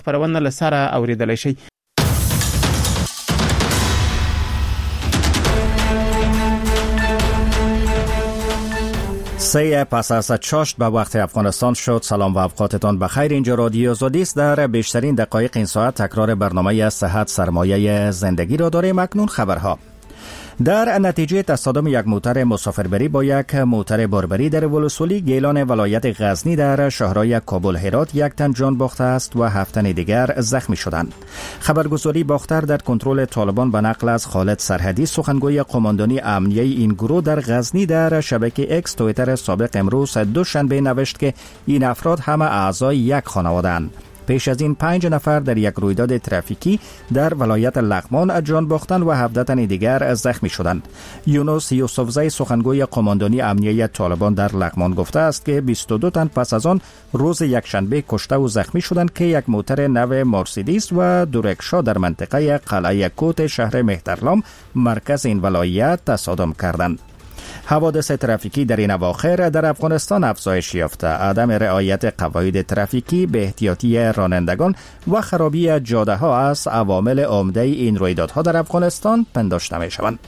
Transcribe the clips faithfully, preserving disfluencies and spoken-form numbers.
خپرونه له سره اورېدلی شئ. سه پس از چاشت به وقت افغانستان شد. سلام و اوقاتتان بخیر. اینجا رادیو آزادی است. در بیشترین دقایق این ساعت تکرار برنامه صحت سرمایه زندگی را داریم. اکنون خبرها. در نتیجه تصادم یک موتر مسافربری با یک موتر باربری در ولسوالی گیلان ولایت غزنی در شهرهای کابل هرات یک تن جان باخته است و هفت تن دیگر زخمی شدند. خبرگزاری باختر در کنترل طالبان به نقل از خالد سرحدی سخنگوی قماندانی امنیه این گروه در غزنی در شبکه اکس توییتر سابق امروز دوشنبه نوشت که این افراد همه اعضای یک خانواده‌اند. پیش از این پنج نفر در یک رویداد ترافیکی در ولایت لغمان جان باختند و هفده تن دیگر زخمی شدند. یونس یوسفزی سخنگوی قماندانی امنیه طالبان در لغمان گفته است که بیست و دو تن پس از آن روز یکشنبه کشته و زخمی شدند که یک موتر نو مرسدس و دو رکشا در منطقه قلعه کوت شهر مهترلام مرکز این ولایت تصادم کردند. حوادث ترافیکی در این اواخر در افغانستان افزایش یافته. عدم رعایت قواعد ترافیکی، به احتیاطی رانندگان و خرابی جاده ها از عوامل عمده این رویدادها در افغانستان پنداشته می شوند.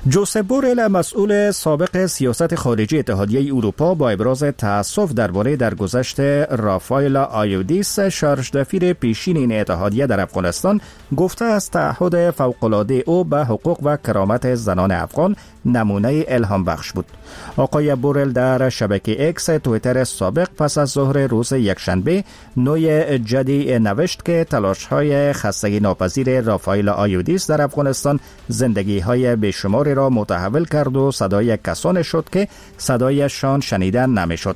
جوزپ بورل مسئول سابق سیاست خارجی اتحادیه اروپا با ابراز تأسف درباره درگذشت رافائل آیودیس شارژدافیر پیشین این اتحادیه در افغانستان گفته است تعهد فوق‌العاده او به حقوق و کرامت زنان افغان نمونه الهام بخش بود. آقای بورل در شبکه اکس توییتر سابق پس از ظهر روز یکشنبه نوع جدی نوشت که تلاش‌های خستگی ناپذیر رافائل آیودیس در افغانستان زندگی‌های بی‌شمار را متحول کرد و صدای کسان شد که صدایشان شنیدن نمیشد.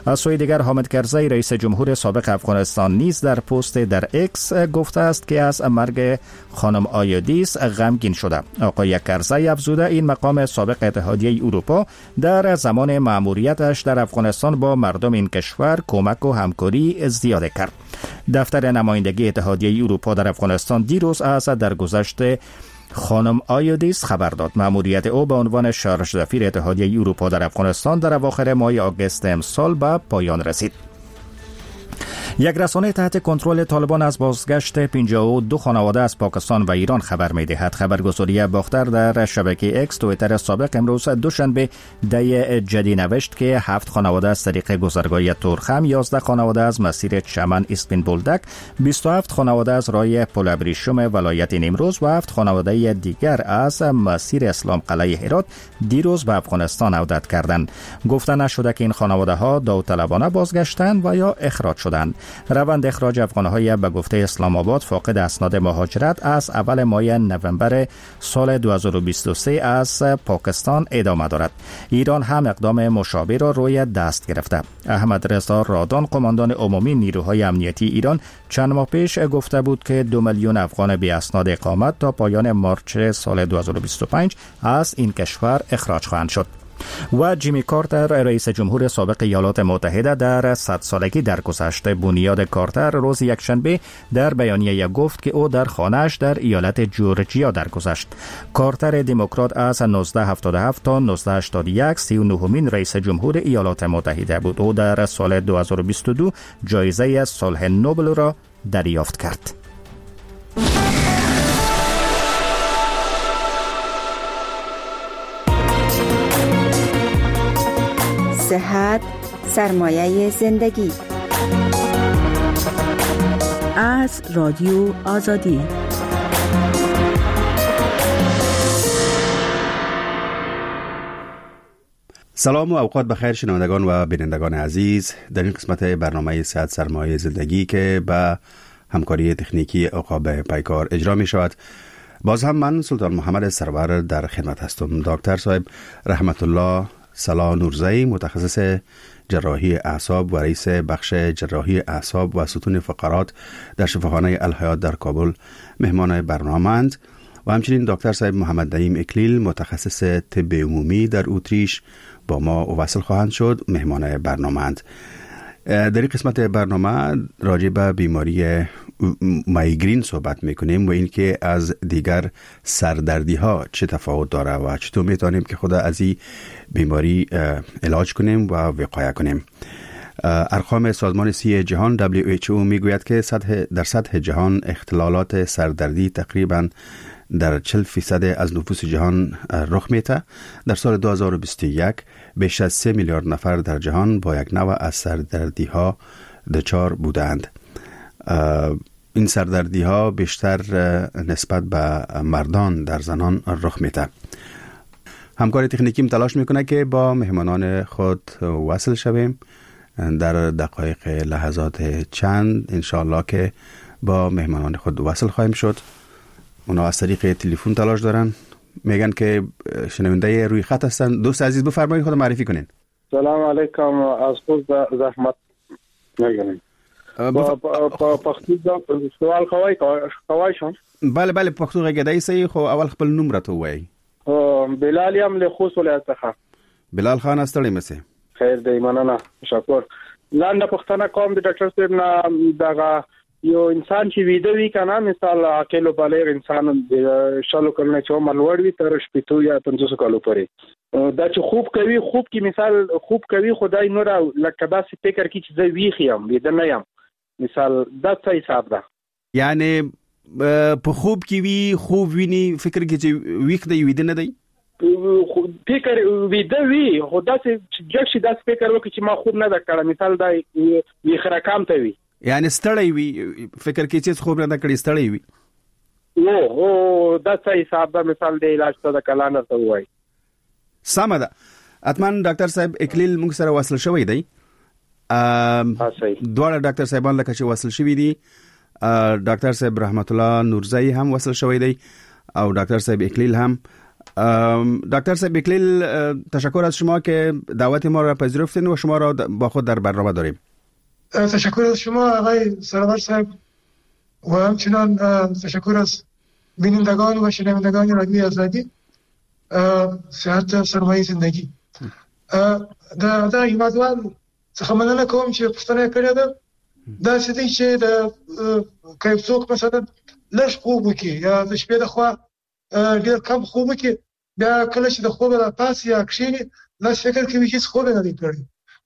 از سوی دیگر حامد کرزی رئیس جمهور سابق افغانستان نیز در پست در اکس گفته است که از مرگ خانم آیودیس غمگین شده. آقای کرزی افزوده این مقام سابق اتحادیه اروپا در زمان مأموریتش در افغانستان با مردم این کشور کمک و همکاری زیاد کرد. دفتر نمایندگی اتحادیه اروپا در افغانستان دیروز از درگذشت خانم آیودیس خبر داد. مأموریت او به عنوان شارژدافیر اتحادیه اروپا در افغانستان در اواخر ماه آگوست امسال به پایان رسید. یک رسانه تحت کنترل طالبان از بازگشت پنجاه و دو خانواده از پاکستان و ایران خبر می‌دهد. خبرگزاری باختر در شبکه اکس توییتر سابق امروز دوشنبه دی جدی نوشت که هفت خانواده از طریق گذرگاه تورخم، یازده خانواده از مسیر چمن اسپین بولدک، بیست و هفت خانواده از راه پل ابریشم ولایت نیمروز و هفت خانواده دیگر از مسیر اسلام قلعه هرات دیروز به افغانستان عودت کردند. گفته نشده که این خانواده ها داوطلبانه بازگشتند و یا اخراج شدند. روند اخراج افغان‌های به گفته اسلام آباد فاقد اسناد مهاجرت از اول ماه نوامبر سال دو هزار و بیست و سه از پاکستان ادامه دارد. ایران هم اقدام مشابه را روی دست گرفته. احمد رضا رادان قماندان عمومی نیروهای امنیتی ایران چند ماه پیش گفته بود که دو میلیون افغان بی اسناد اقامت تا پایان مارچ سال دو هزار و بیست و پنج از این کشور اخراج خواهند شد. و جیمی کارتر رئیس جمهور سابق ایالات متحده در صد سالگی درگذشت. بنیاد کارتر روز یکشنبه در بیانیه گفت که او در خانه‌اش در ایالت جورجیا درگذشت. کارتر دموکرات از نوزده هفتاد و هفت تا نوزده هشتاد و یک سی و نهمین رئیس جمهور ایالات متحده بود. او در سال دو هزار و بیست و دو جایزه صلح نوبل را دریافت کرد. صحت سرمایه زندگی از رادیو آزادی. سلام و اوقات بخیر شنوندگان و بینندگان عزیز، در این قسمت برنامه صحت سرمایه زندگی که به همکاری تکنیکی عقاب پیکار اجرا می شود، باز هم من سلطان محمد سرور در خدمت هستم. دکتر صاحب رحمت الله صلاح نورزی، متخصص جراحی اعصاب و رئیس بخش جراحی اعصاب و ستون فقرات در شفاخانه الحیات در کابل، مهمان برنامه‌اند، و همچنین دکتر صاحب محمد نعیم اکلیل، متخصص طب عمومی در اتریش، با ما وصل خواهند شد، مهمان برنامه‌اند. در این قسمت برنامه راجع به بیماری مایگرین صحبت میکنیم و اینکه از دیگر سردردی ها چه تفاوت داره و چطور میتونیم که خود از این بیماری علاج کنیم و وقایه کنیم. ارقام سازمان صحی جهان دبلیو اچ او میگوید که سطح در سطح جهان اختلالات سردردی تقریباً در چهل فیصد از نفوس جهان رخ میده. در سال دو هزار و بیست و یک بیش از سه میلیارد نفر در جهان با یک نوع از سردردی ها دچار بودند. این سردردی ها بیشتر نسبت به مردان در زنان رخ میده. همکار تکنیکیم تلاش میکنه که با مهمانان خود وصل شویم در دقایق لحظات چند انشاءالله که با مهمانان خود وصل خواهیم شد. اونا از طریق تلفن تلاش دارن، میگن که شنونده روی خط هستن. دوست عزیز بفرمایید، خود معرفی کنین. سلام علیکم، از خود زحمت میگیرم. په پښتو سوال کوي کوي شم؟ بله بله، پښتو غږیدای سي، خو اول خپل نوم راته ووایئ. بلال یم له خوست ولایت څخه. بلال خان ستړی مه. خیر دی، مننه، تشکر. لاندې پښتنه کوم د ډاکټر صاحب نه، دغه یو انسان چې ویده وي که نه، مثال عاقل و بالغ انسان د شلو کلونو چې عمر لوړ وي تر شپېتو یا پنځوسو کالو پورې، دا چې خوب کوي، خوب کې مثال خوب کوي، خو دا نور لکه داسې فکر کوي چې زه ویښ یم، ویده نه یم، مثال دا څه حساب ده؟ یعنی په خوب کې وي، خوب ویني، فکر کوي چې ویښ دی، ویده نه دی؟ فکر ویده وي، خو داسې چې جګ شي داسې فکر وکړي چې ما خوب نه ده کړی، مثال دا ویښ رقم ته وي، یعنی ستړی وي، فکر کوي چې خوب نه ده کړی، ستړی وي. او او دا څه حساب ده؟ مثال د علاج څه ده کلان راته ووایي. سمه ده. حتما ډاکټر صاحب اکلیل موږ سره وصل شوی دی. دواړه ډاکټر صاحبان لکه چې وصل شوي دي. ډاکټر صاحب رحمت الله نورزی هم وصل شوی دی او ډاکټر صاحب اکلیل هم. دکتر صاحب اکلیل، تشکر از شما که دعوت ما را پذیرفتین و شما را با خود در برنامه داریم. تشکر از شما آقای سرور صاحب و همچنان تشکر از بینندگان و شنوندگان رادیوی آزادی. صحت سرمایه زندگی. دا دا هیوادوال څخه مننه کوم چې پوښتنه یې کړې ده. داسې دی چې د که یو څوک مثلا لږ خوب وکړي یا د شپې د خوا ډېر کم خوب وکړي، بیا کله چې د خوبه راپاڅي یا کښېني، داسې فکر کوي چې هېڅ خوب یې نه دی کړی.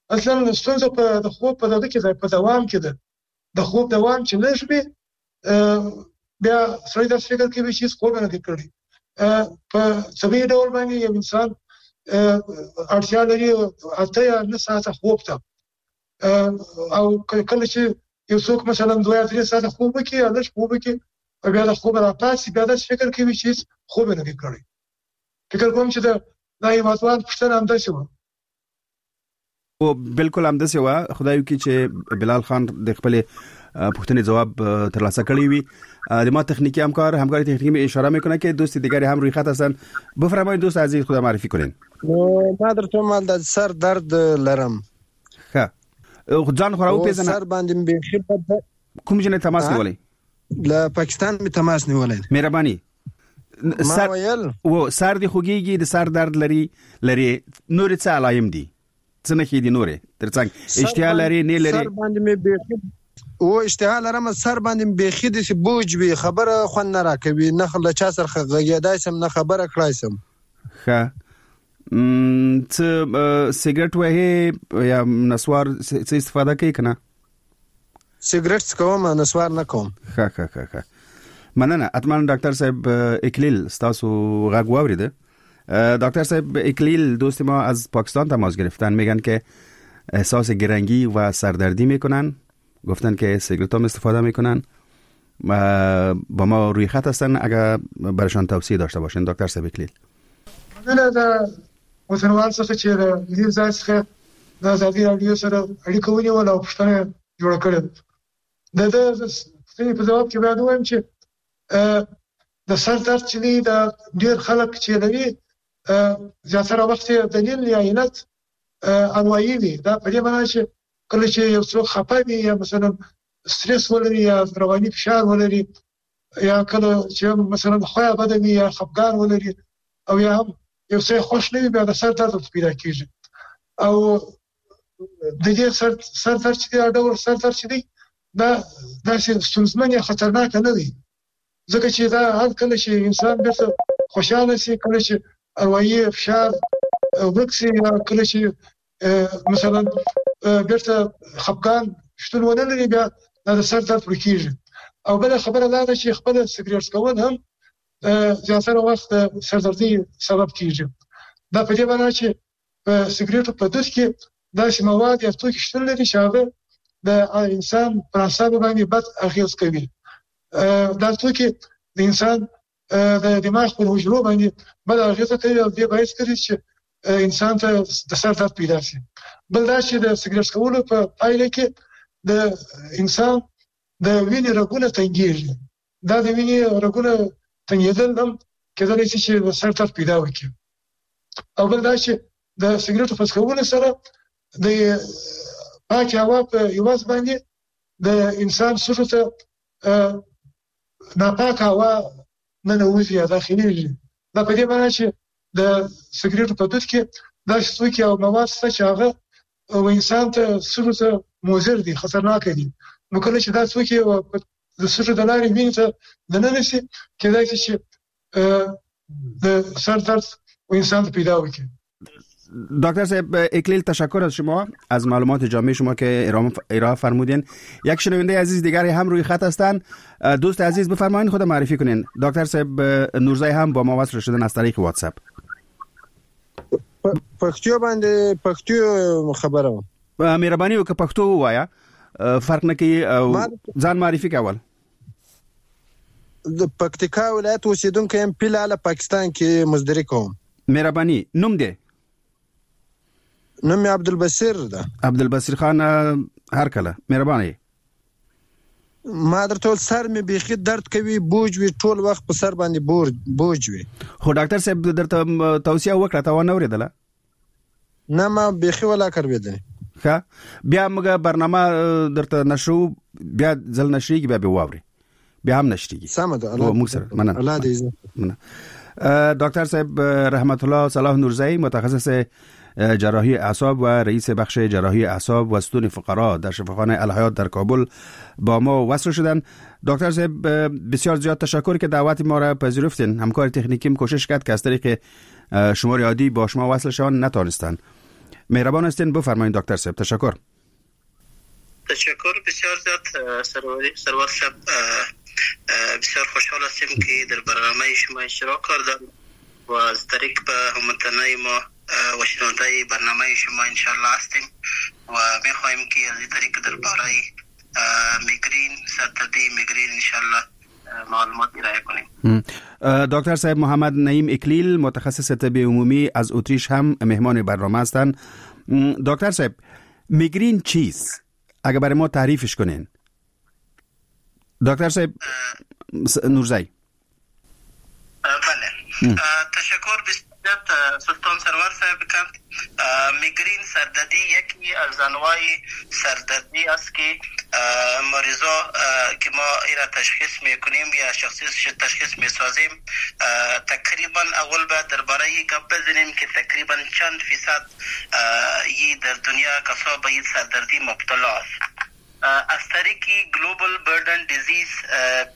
اصلا ستونزه په د خوب په دغه کې ده، په دوام کې ده. د خوب دوام چې لږ وي، بیا سړی داسې فکر کوي چې هېڅ خوب یې نه دی کړی. په طبیعي ډول باندې یو انسان اړتیا لري اته یا نهه ساعته خوب ته، او کله چې یو څوک مثلا دوه یا درې ساعته خوب وکړي یا لږ خوب وکړي، بیا د خوبه راپاڅي، بیا داسې فکر کوي چې هېڅ خوب یې نه دی کړی. فکر کوم چې دا هیوادوال پوښتنه همداسې وه. او بالکل همداسې وه. خدای وکړي چې بلال خان د خپلې پوښتنې جواب ترلاسه کړی وي. د ما تخنیکی همکار همکار تخنیکی می اشاره میکنه که دوست دیگری هم روی خط هستن. بفرمایید دوست عزیز، خدا معرفی کنین. ما درته مال د سر درد لرم. ښه، ځان خو راوپېژنه. سر باندې مې بیخي بد. کوم ځای نه تماس نیولی؟ له پاکستان مې تماس نیولی. مهرباني. سر و سر دې خوږیږي، د سر درد لري لري، نورې څه علایم دي؟ څه نښې دي نورې ترڅنګ؟ اشتها لري نه لري؟ سر باندې مې بیخي او اشتها لرم، سر باندې مې بیخي داسې بوج وي، خبره خوند نه راکوي، نه له چا سره غږېدای شم، نه خبره کړای شم. ښه، څه سیګریټ وهې یا نسوار څه استفاده کوې که نه؟ سیګریټ څکوم، نسوار نه کوم. ښه ښه ښه ښه، مننه. حتما ډاکټر صاحب اکلیل ستاسو غږ واورېده. دکتر صاحب اکلیل، دوست ما از پاکستان تماس گرفتن، میگن که احساس گرنگی و سردردی میکنن، گفتن که سیگرت هم استفاده میکنن، با ما روی خط هستن، اگر برشان توصیه داشته باشین. دکتر صاحب اکلیل. مننه د وطنوال څخه چې د دې ځای څخه د ازادي راډیو سره اړیکه ونیوله او پوښتنه یې جوړه کړې. د ده پوښتنې په ځواب کې باید ووایم چې د سر درد چې دی، د ډېر خلک چې لري زیاتره وخت یې دلیل یا علت اروایي وي. دا په دې معنی چې کله چې یو څوک خفه وي یا مثلا سترس ولري یا رواني فشار ولري یا کله چې مثلا خویا بده وي یا خفګان ولري او یا هم یو څه خوښ نه وي، بیا د سر درد ورته پیدا کېږي. او د دې سر سر درد چې دی، دا ډول سر درد چې دی، دا داسې ستونزمن یا خطرناک نه دی، ځکه چې دا هر کله چې انسان بېرته خوشحاله شي، کله چې اروایي فشار ورک شي، یا کله چې مثلا بیرته خفګان شتون ونه لري، بیا دا د سر درد ورکیږي. او بله خبره دا ده چې خپله سګریټ څکول هم زیاتره وخت د سردردۍ سبب کیږي. دا په دې معنا چې په سګریټو په دود کې داسې مواد یا توکي شتون لري چې هغه د انسان پر اعصابو باندې بد اغېز کوي. دا توکي د انسان د دماغ پر حجرو باندې بد اغېزه کوي او دې باعث ګرځي چې انسان ته د سر درد پیدا شي. بل دا چې د سګریټ څکولو په پایله کې د انسان د وینې رګونه تنګیږي. دا د وینې رګونه تنګېدل هم کېدلی شي چې د سر درد پیدا وکړي. او بل دا چې د سګریټو په څکولو سره د پاکې هوا په عوض باندې د انسان سږو ته ناپاکه هوا ننوځي یا داخلېږي. دا په دې معنا چې د سګریټو په دود کې داسې توکي او مواد شته چې هغه انسان ته سږو ته مضر دي، خطرناک دي. نو کله چې دا توکي د سږو د لارې وینې ته دننه شي، کېدای شي چې د سر درد انسان ته پیدا وکړي. دکتر صاحب اکلیل، تشکر از شما از معلومات جامع شما که ارائه فرمودین. یک شنونده عزیز دیگری هم روی خط هستن. دوست عزیز بفرمایین خود معرفی کنین. دکتر صاحب نورزای هم با ما وصل شدن از طریق واتساپ. پښتو باندې پښتو خبره مهرباني وکړه پښتو وایا، فرق نه کوي، ځان معرفي کول. د پکتیکا ولایت اوسیدونکی یم، پیلاله پاکستان کې مزدوري کوم. مهرباني. نوم دی؟ نوم مې عبدالبصیر ده. عبدالبصیر خان، هر کله مهرباني. ما درته وویل سر مې بیخي درد کوي، بوج وي، ټول وخت په سر باندې بوج وي. خو ډاکټر صاحب درته توصیه وکړه، تا ونه اورېدله؟ نه، ما بیخي ولا کروېدلې. ښه، بیا موږ برنامه درته نشرو، بیا ځل نشریږي، بیا به واوري، بیا هم نشریږي. سمه ده، موږ سره مننه. الله دې عزت. مننه. دکتر صاحب رحمت الله صلاح نورزایی، متخصص جراحی اعصاب و رئیس بخش جراحی اعصاب و ستون فقرا در شفاخانه الحیات در کابل با ما وصل شدن. دکتر صاحب بسیار زیاد تشکر که دعوت ما را پذیرفتین. همکار تکنیکیم کوشش کرد که از طریق شماره عادی با شما وصل شوند، نتانستند. مهربان هستین، بفرمایید دکتر صاحب. تشکر. تشکر بسیار زیاد سرور صاحب. بسیار خوشحال هستیم که در برنامه شما اشتراک کردم و از طریق به هموطنای ما و شنونده برنامه شما انشالله هستیم و میخواهیم که از این طریق درباره میگرین، سردردی میگرین انشالله معلومات ارائه کنیم. دکتر صاحب محمد نعیم اکلیل، متخصص طب عمومی از اتریش هم مهمان برنامه هستند. دکتر صاحب، میگرین چیست؟ اگر برای ما تعریفش کنین. دکتر صاحب نورزایی. بله، تشکر بسیار سلطان سرور صاحب. میگرین سردردی یکی از انواع سردردی است که مریضا که ما ایرا تشخیص میکنیم یا شخصی تشخیص میسازیم، تقریبا اول باید درباره این گپ بزنیم که تقریبا چند فیصد یی در دنیا کسا به این سردردی مبتلا است. از طریق Global Burden Disease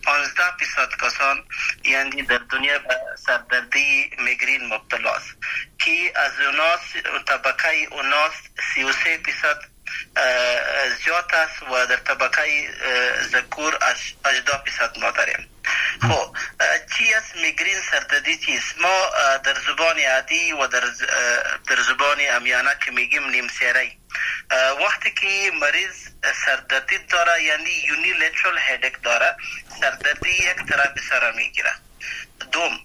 پانزده فیصد کسان یعنی در دنیا به سردردی میگرین مبتلا است که از اوناس طبقه اوناس سی و سه فیصد زیاد است و در طبقه ذکور هجده فیصد ما داریم. خب چی است میگرین سردردی چیست؟ ما در زبان عادی و در در زبان عامیانه که میگیم نیم سیره، وقتی که مریض سردردی داره یعنی unilateral headache داره، سردردی یک طرف سر میگیره. دوم،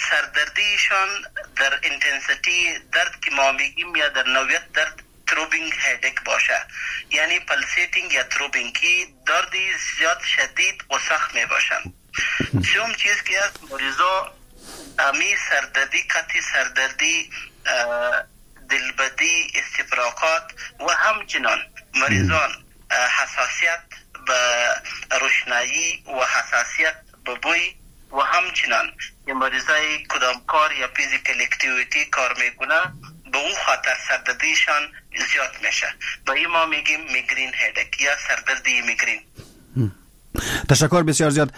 سردردیشان در intensity درد که ما میگیم یا در نوعیت درد throbbing headache باشه، یعنی pulsating یا throbbing که دردی زیاد شدید و سخت می باشند. سوم چیز که است، مریضا امی سردردی قطعی سردردی دلبدی، استفراغات و همچنان مریضان حساسیت به روشنایی و حساسیت به بوی و همچنان که مریضای کدام کار یا physical activity کار میکنه به او خاطر سردردیشان زیاد میشه. به این ما میگیم migraine headache یا سردردی میگرین. تشکر بسیار زیاد.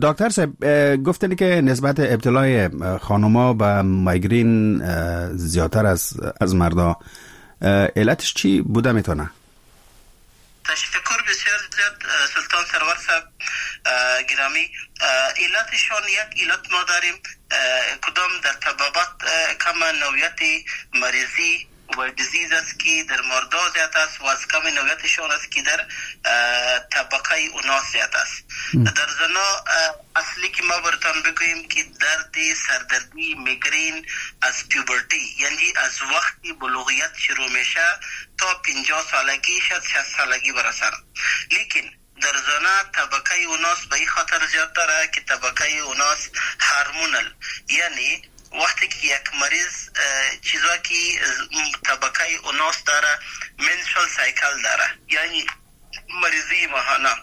دکتر صاحب گفتن که نسبت ابتلای خانوما به مایگرین زیادتر از از مردا، علتش چی بوده میتونه؟ تشکر بسیار زیاد سلطان سرور صاحب گرامی. علتشان یک علت ما داریم کدام در طبابت کم نوعیت مریضی و disease است که در مردا زیاد است و از کم نوعیتشان است که در طبقه اوناس زیاد است. در زنا اصلی که ما براتان بگوییم که درد سردردی میگرین از puberty، یعنی از وقتی بلوغیت شروع میشه تا پنجاه سالگی شد شصت سالگی برسن. لیکن در زنا طبقه اوناس به این خاطر زیاد داره که طبقه اوناس hormonal، یعنی وقتی که یک مریض چیزا که طبقه اوناس داره menstrual cycle داره، یعنی مریضی ماهانه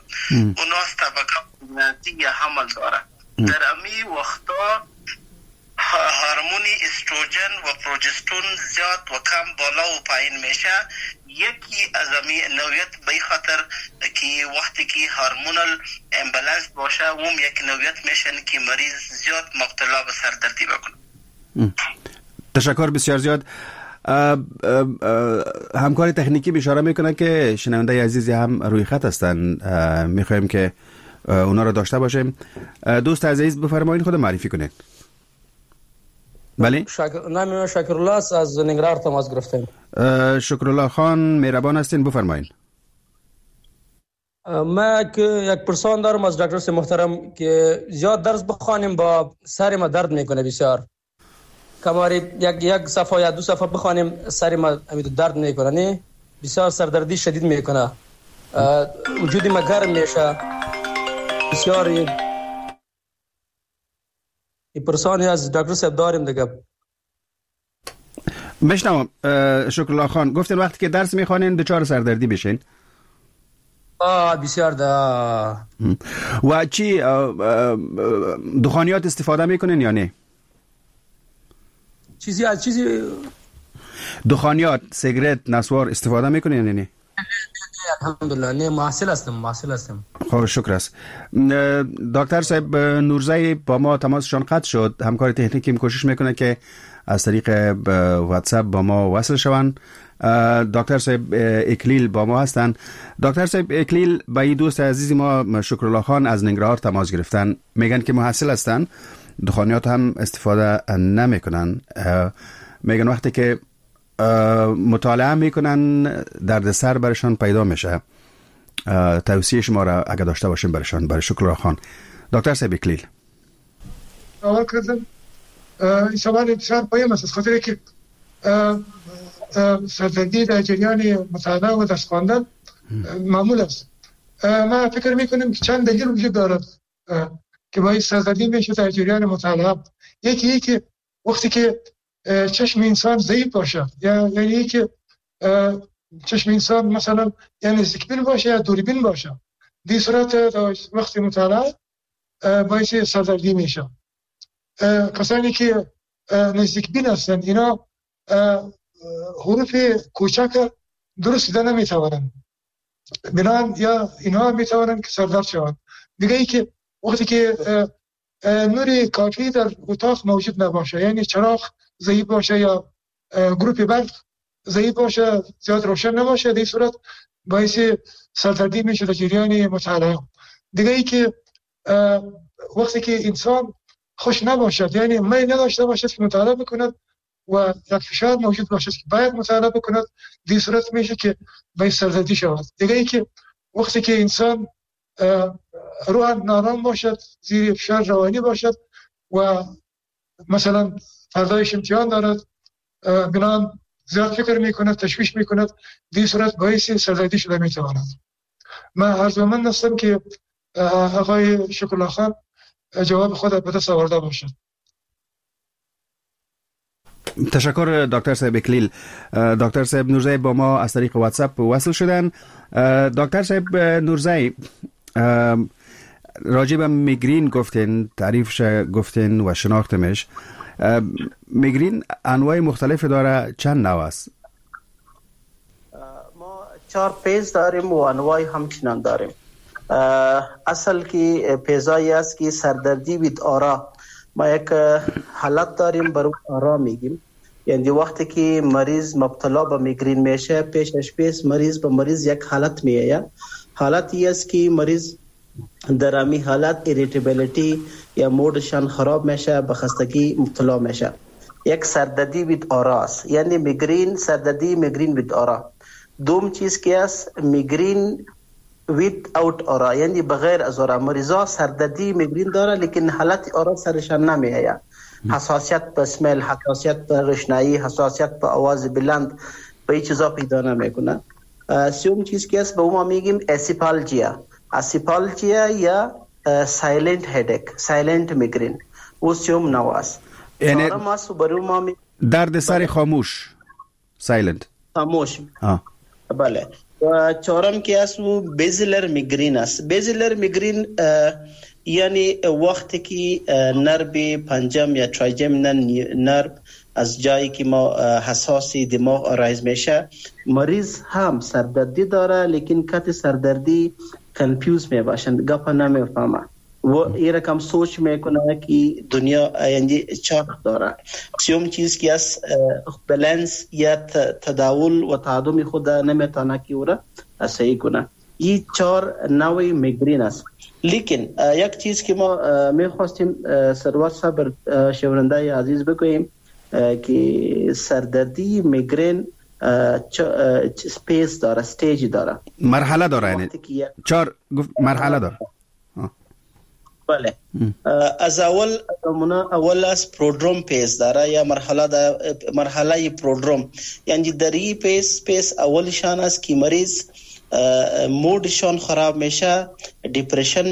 اوناس طبقه یا حمل داره، در امی وقتا هورمون استروژن و پروژستون زیاد و کم بالا و پایین میشه. یکی از امی نوعیت به خاطر که وقتی که hormonal imbalance باشه اون یک نوعیت میشن که مریض زیاد مبتلا به سردردی بکنه. تشکر بسیار زیاد. همکار تکنیکی اشاره میکنه که شنونده عزیزی هم روی خط هستن، میخوایم که اونا رو داشته باشیم. دوست عزیز بفرمایید خود معرفی کنید. بله، شکر... نام من شکرالله است، از ننگرهار تماس گرفتم. شکرالله خان مهربان هستین، بفرمایید. ما که یک پرسان دارم از دکتر محترم که زیاد درس بخوانیم با سر ما درد میکنه بسیار. کماری یک یک صفحه یا دو صفحه بخوانیم سر ما درد میکنه، نه بسیار سردردی شدید میکنه، وجود ما گرم میشه بسیار. این پرسانی از دکتر صاحب داریم دیگه. میشنوم شکرالله خان، گفتین وقتی که درس میخوانین دچار سردردی بشین. آه بسیار ده. و چی دخانیات استفاده میکنین یا نه؟ چیزی از چیزی دخانیات، سیگرت، نسوار استفاده میکنین یا نه؟ الحمدلله نه، محصل هستم، محصل هستم. خب شکر است. دکتر صاحب نورزی با ما تماسشان قطع شد. همکار تکنیکیم کوشش میکنه که از طریق واتساپ با ما وصل شوند. دکتر صاحب اکلیل با ما هستند. دکتر صاحب اکلیل با این دوست عزیز ما شکرالله خان از ننگرهار تماس گرفتن، میگن که محصل هستن، دخانیات هم استفاده نمیکنن. میگن وقتی که مطالعه میکنن درد سر برشان پیدا میشه. توصیه شما را اگه داشته باشیم برشان، برای شکرالله خان. دکتر صاحب اکلیل، اول کردم این سوال بسیار مهم است، از خاطر که سردردی در جریان مطالعه و درس خواندن معمول است. ما فکر میکنیم که چند دلیل وجود دارد که باعث سردردی میشه در جریان مطالعه. یکی یکی وقتی که چشم انسان ضعیف باشه، یا یعنی که چشم انسان مثلا یا نزدیکبین باشه یا دوربین باشه، دی صورت وقتی مطالعه باعث سردردی میشه. کسانی که نزدیکبین هستند اینا حروف کوچک درست دیده نمیتوانند، بنابراین یا اینها میتوانند که سردرد شوند. دیگه ای که وقتی که نور کافی در اتاق موجود نباشه، یعنی چراغ ضعیف باشه یا گروپ برق ضعیف باشه، زیاد روشن نباشه، در این صورت باعث سردردی میشه در جریان مطالعه. دیگه ای که وقتی که انسان خوش نباشد، یعنی میل نداشته باشد که مطالعه بکند و یک فشار موجود باشد که باید مطالعه بکند، در این صورت میشه که باعث سردردی شود. دیگه ای که وقتی که انسان روح نارام باشد، زیر فشار روانی باشد و مثلا فردایش امتحان دارد، بنابراین زیاد فکر میکند، تشویش میکند، در این صورت باعث سردردی شده میتواند. من آرزومند هستم که آقای شکرالله خان جواب خود به دست آورده باشد. تشکر دکتر صاحب اکلیل. دکتر صاحب نورزی با ما از طریق واتساپ وصل شدن. دکتر صاحب نورزی، راجع به میگرین گفتین، تعریفش گفتین و شناختمش. میگرین انواع مختلف داره، چند نوع است؟ ما چهار phase داریم و انواع همچنان داریم. اصل که phase ایی است که سردردی with aura، ما یک حالت داریم بر aura میگیم. یعنی وقتی که مریض مبتلا به میگرین میشه، پیشش پیش مریض به مریض یک حالت میآید. حالت ای است که مریض در امی حالت irritability یا mood شان خراب میشه، به خستگی مبتلا میشه. یک سردردی with aura است، یعنی میگرین سردردی میگرین with aura. دوم چیز که است میگرین without aura، یعنی بغیر از aura. مریضا سردردی میگرین داره لیکن حالت aura سرشان نمیآید. حساسیت به smell، حساسیت به روشنایی، حساسیت به آواز بلند، به این چیزا پیدا نمیکنه. سوم چیز که است به ما میگیم acephalgia. acephalgia یا silent headache، silent migraine، او سوم نوع است. یعنی درد سر خاموش، silent خاموش. آه. بله. و چهارم که است او basilar migraine است. basilar migraine یعنی وقتی که nerve پنجم یا trigeminal nerve از جایی که ما حساسی دماغ arise میشه، مریض هم سردردی داره لیکن کت سردردی confuse می باشند، گپ نمیفهمه و این رقم سوچ میکنه که دنیا یعنی چرخ داره. سوم چیز که از بالانس یا تداول و تعادل خود نمیتونه که او را صحیح کنه. این چهار نوع میگرین است. لیکن یک چیز که ما میخواستیم سرور صبر شنونده عزیز بگوییم که سردردی میگرین phase داره، stage داره، مرحله داره، یعنی چهار مرحله داره. بله. از اول اول از prodrome phase داره یا مرحله دا مرحله prodrome، یعنی در این phase phase اولشان است که مریض mood شان خراب میشه، depression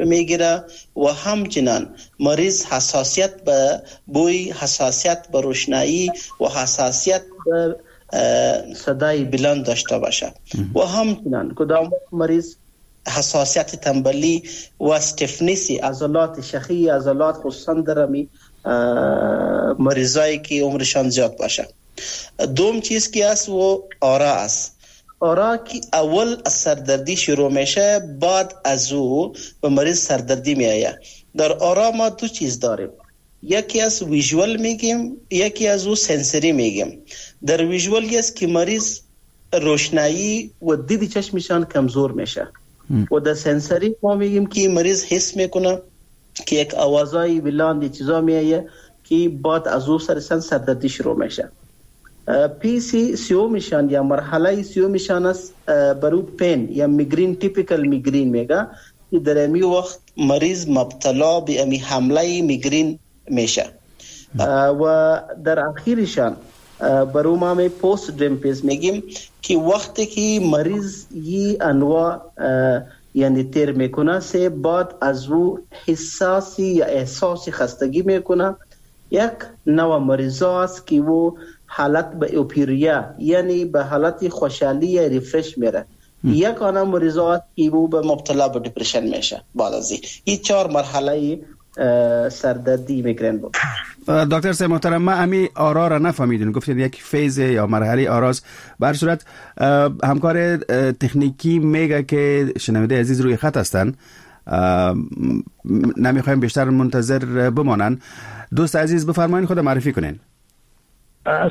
میگیره و همچنان مریض حساسیت به بوی، حساسیت به روشنایی و حساسیت به صدای بلند داشته باشه و همچنان کدام مریض حساسیت تنبلی و stiffness ی عضلات شخی عضلات، خصوصا در مریضایی که عمرشان زیاد باشه. دوم چیز که است و aura است. aura که اول از سردردی شروع میشه، بعد از او به مریض سردردی میآید. در aura ما دو چیز داریم، یکی از visual میگیم، یکی از او sensory میگیم. در visual است که مریض روشنایی و دید چشمشان کمزور میشه و در sensory ما میگیم که مریض حس میکنه که یک آوازای بلند چیزا میآید که بعد از او سرسن سردردی شروع میشه. phase سیومشان یا مرحله سیومشان است برو pain یا میگرین، typical migraine میگه که در امی وقت مریض مبتلا به امی حمله میگرین میشه و در اخیرشان برو ما می postdrome phase میگیم که وقتی که مریض یه انواع یعنی تیر میکنه، سه بعد از او حساسی یا احساس خستگی میکنه. یک نوع مریض است که او حالت به euphoria یعنی به حالت خوشحالی یا refresh میره. یک آن مریض است که او به مبتلا به depression میشه. بعد از این چهار مرحله سردردی میگرن بود. دکتر صاحب محترم، ما امی aura را نفهمیدیم، گفتید یک phase یا مرحله aura ست. به هر صورت همکار تکنیکی میگه که شنونده عزیز روی خط هستن، نمیخوایم بیشتر منتظر بمانن. دوست عزیز بفرمایید، خود معرفی کنین.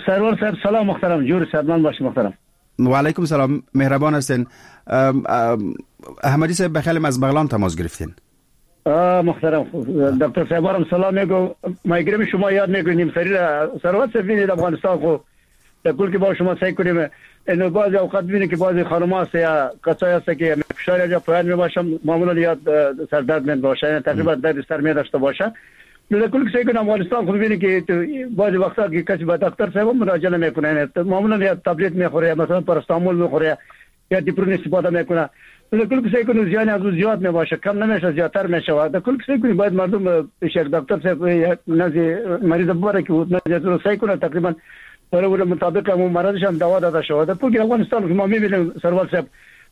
سرور صاحب سلام محترم، جور صاحب باش محترم. و علیکم سلام، مهربان هستین. احمدی صاحب بخیرم از بغلان تماس گرفتین. محترم دکتر صاحب سلام میگم، مایگرین شما یاد میکنیم سری سرور صاحب ببینید افغانستان خو در کل که با شما سعی کنیم اینو بعضی اوقات ببینید که بعضی خانم‌ها هست یا کسایی هست که فشار یا پایین میباشم معمولا یاد سردرد می باشه، یعنی تقریبا درد سر می داشته باشه. در کل سعی کنم افغانستان خو ببینید که بعضی وقتا که کسی با دکتر صاحب مراجعه نمیکنه، یعنی معمولا یا تابلت میخوره یا مثلا پاراستامول میخوره یا دیپرون استفاده میکنه. در کل سعی کنم زیان از زیاد میباشه، کم نمیشه زیادتر میشه. در کل سعی کنیم باید مردم پیش یک دکتر صاحب نزد مریض ببره که نزد سعی کنه تقریبا برای مطابق همون مرضش هم دوا داده شود. در کل افغانستان ما میبینیم سروال صاحب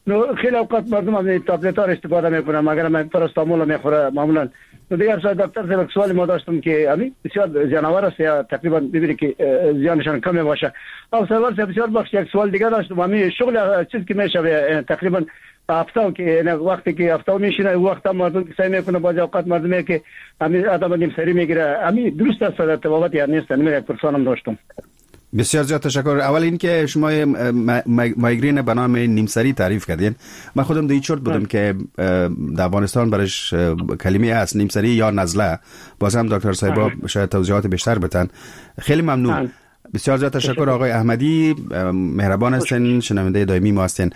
نو خیلی اوقات مردم از تابلت ها استفاده میکنن، مگر من پاراستامول میخوره معمولا. نو دیگر صاحب دکتر صاحب سوال ما داشتم که همین بسیار زیانآور است یا تقریبا ببینید که زیانشان کم باشه. او سروال صاحب بسیار بخش یک سوال دیگه داشتم، همین شغل چیز که میشه تقریبا هفته که وقتی که هفته میشینه وقت مردم سعی میکنه بعضی اوقات مردم که همین آدم نیم سری میگیره، همین درست است در تبابت یا نیست؟ من یک پرسانم داشتم. بسیار زیاد تشکر. اول اینکه شما مایگرین به نام نیمسری تعریف کردین. من خودم در چرت بودم که در افغانستان برش کلمه است نیمسری یا نزله. باز هم دکتر صاحب شاید توضیحات بیشتر بدن. خیلی ممنون. بسیار زیاد تشکر آقای احمدی، مهربان هستین، شنونده دائمی ما هستین.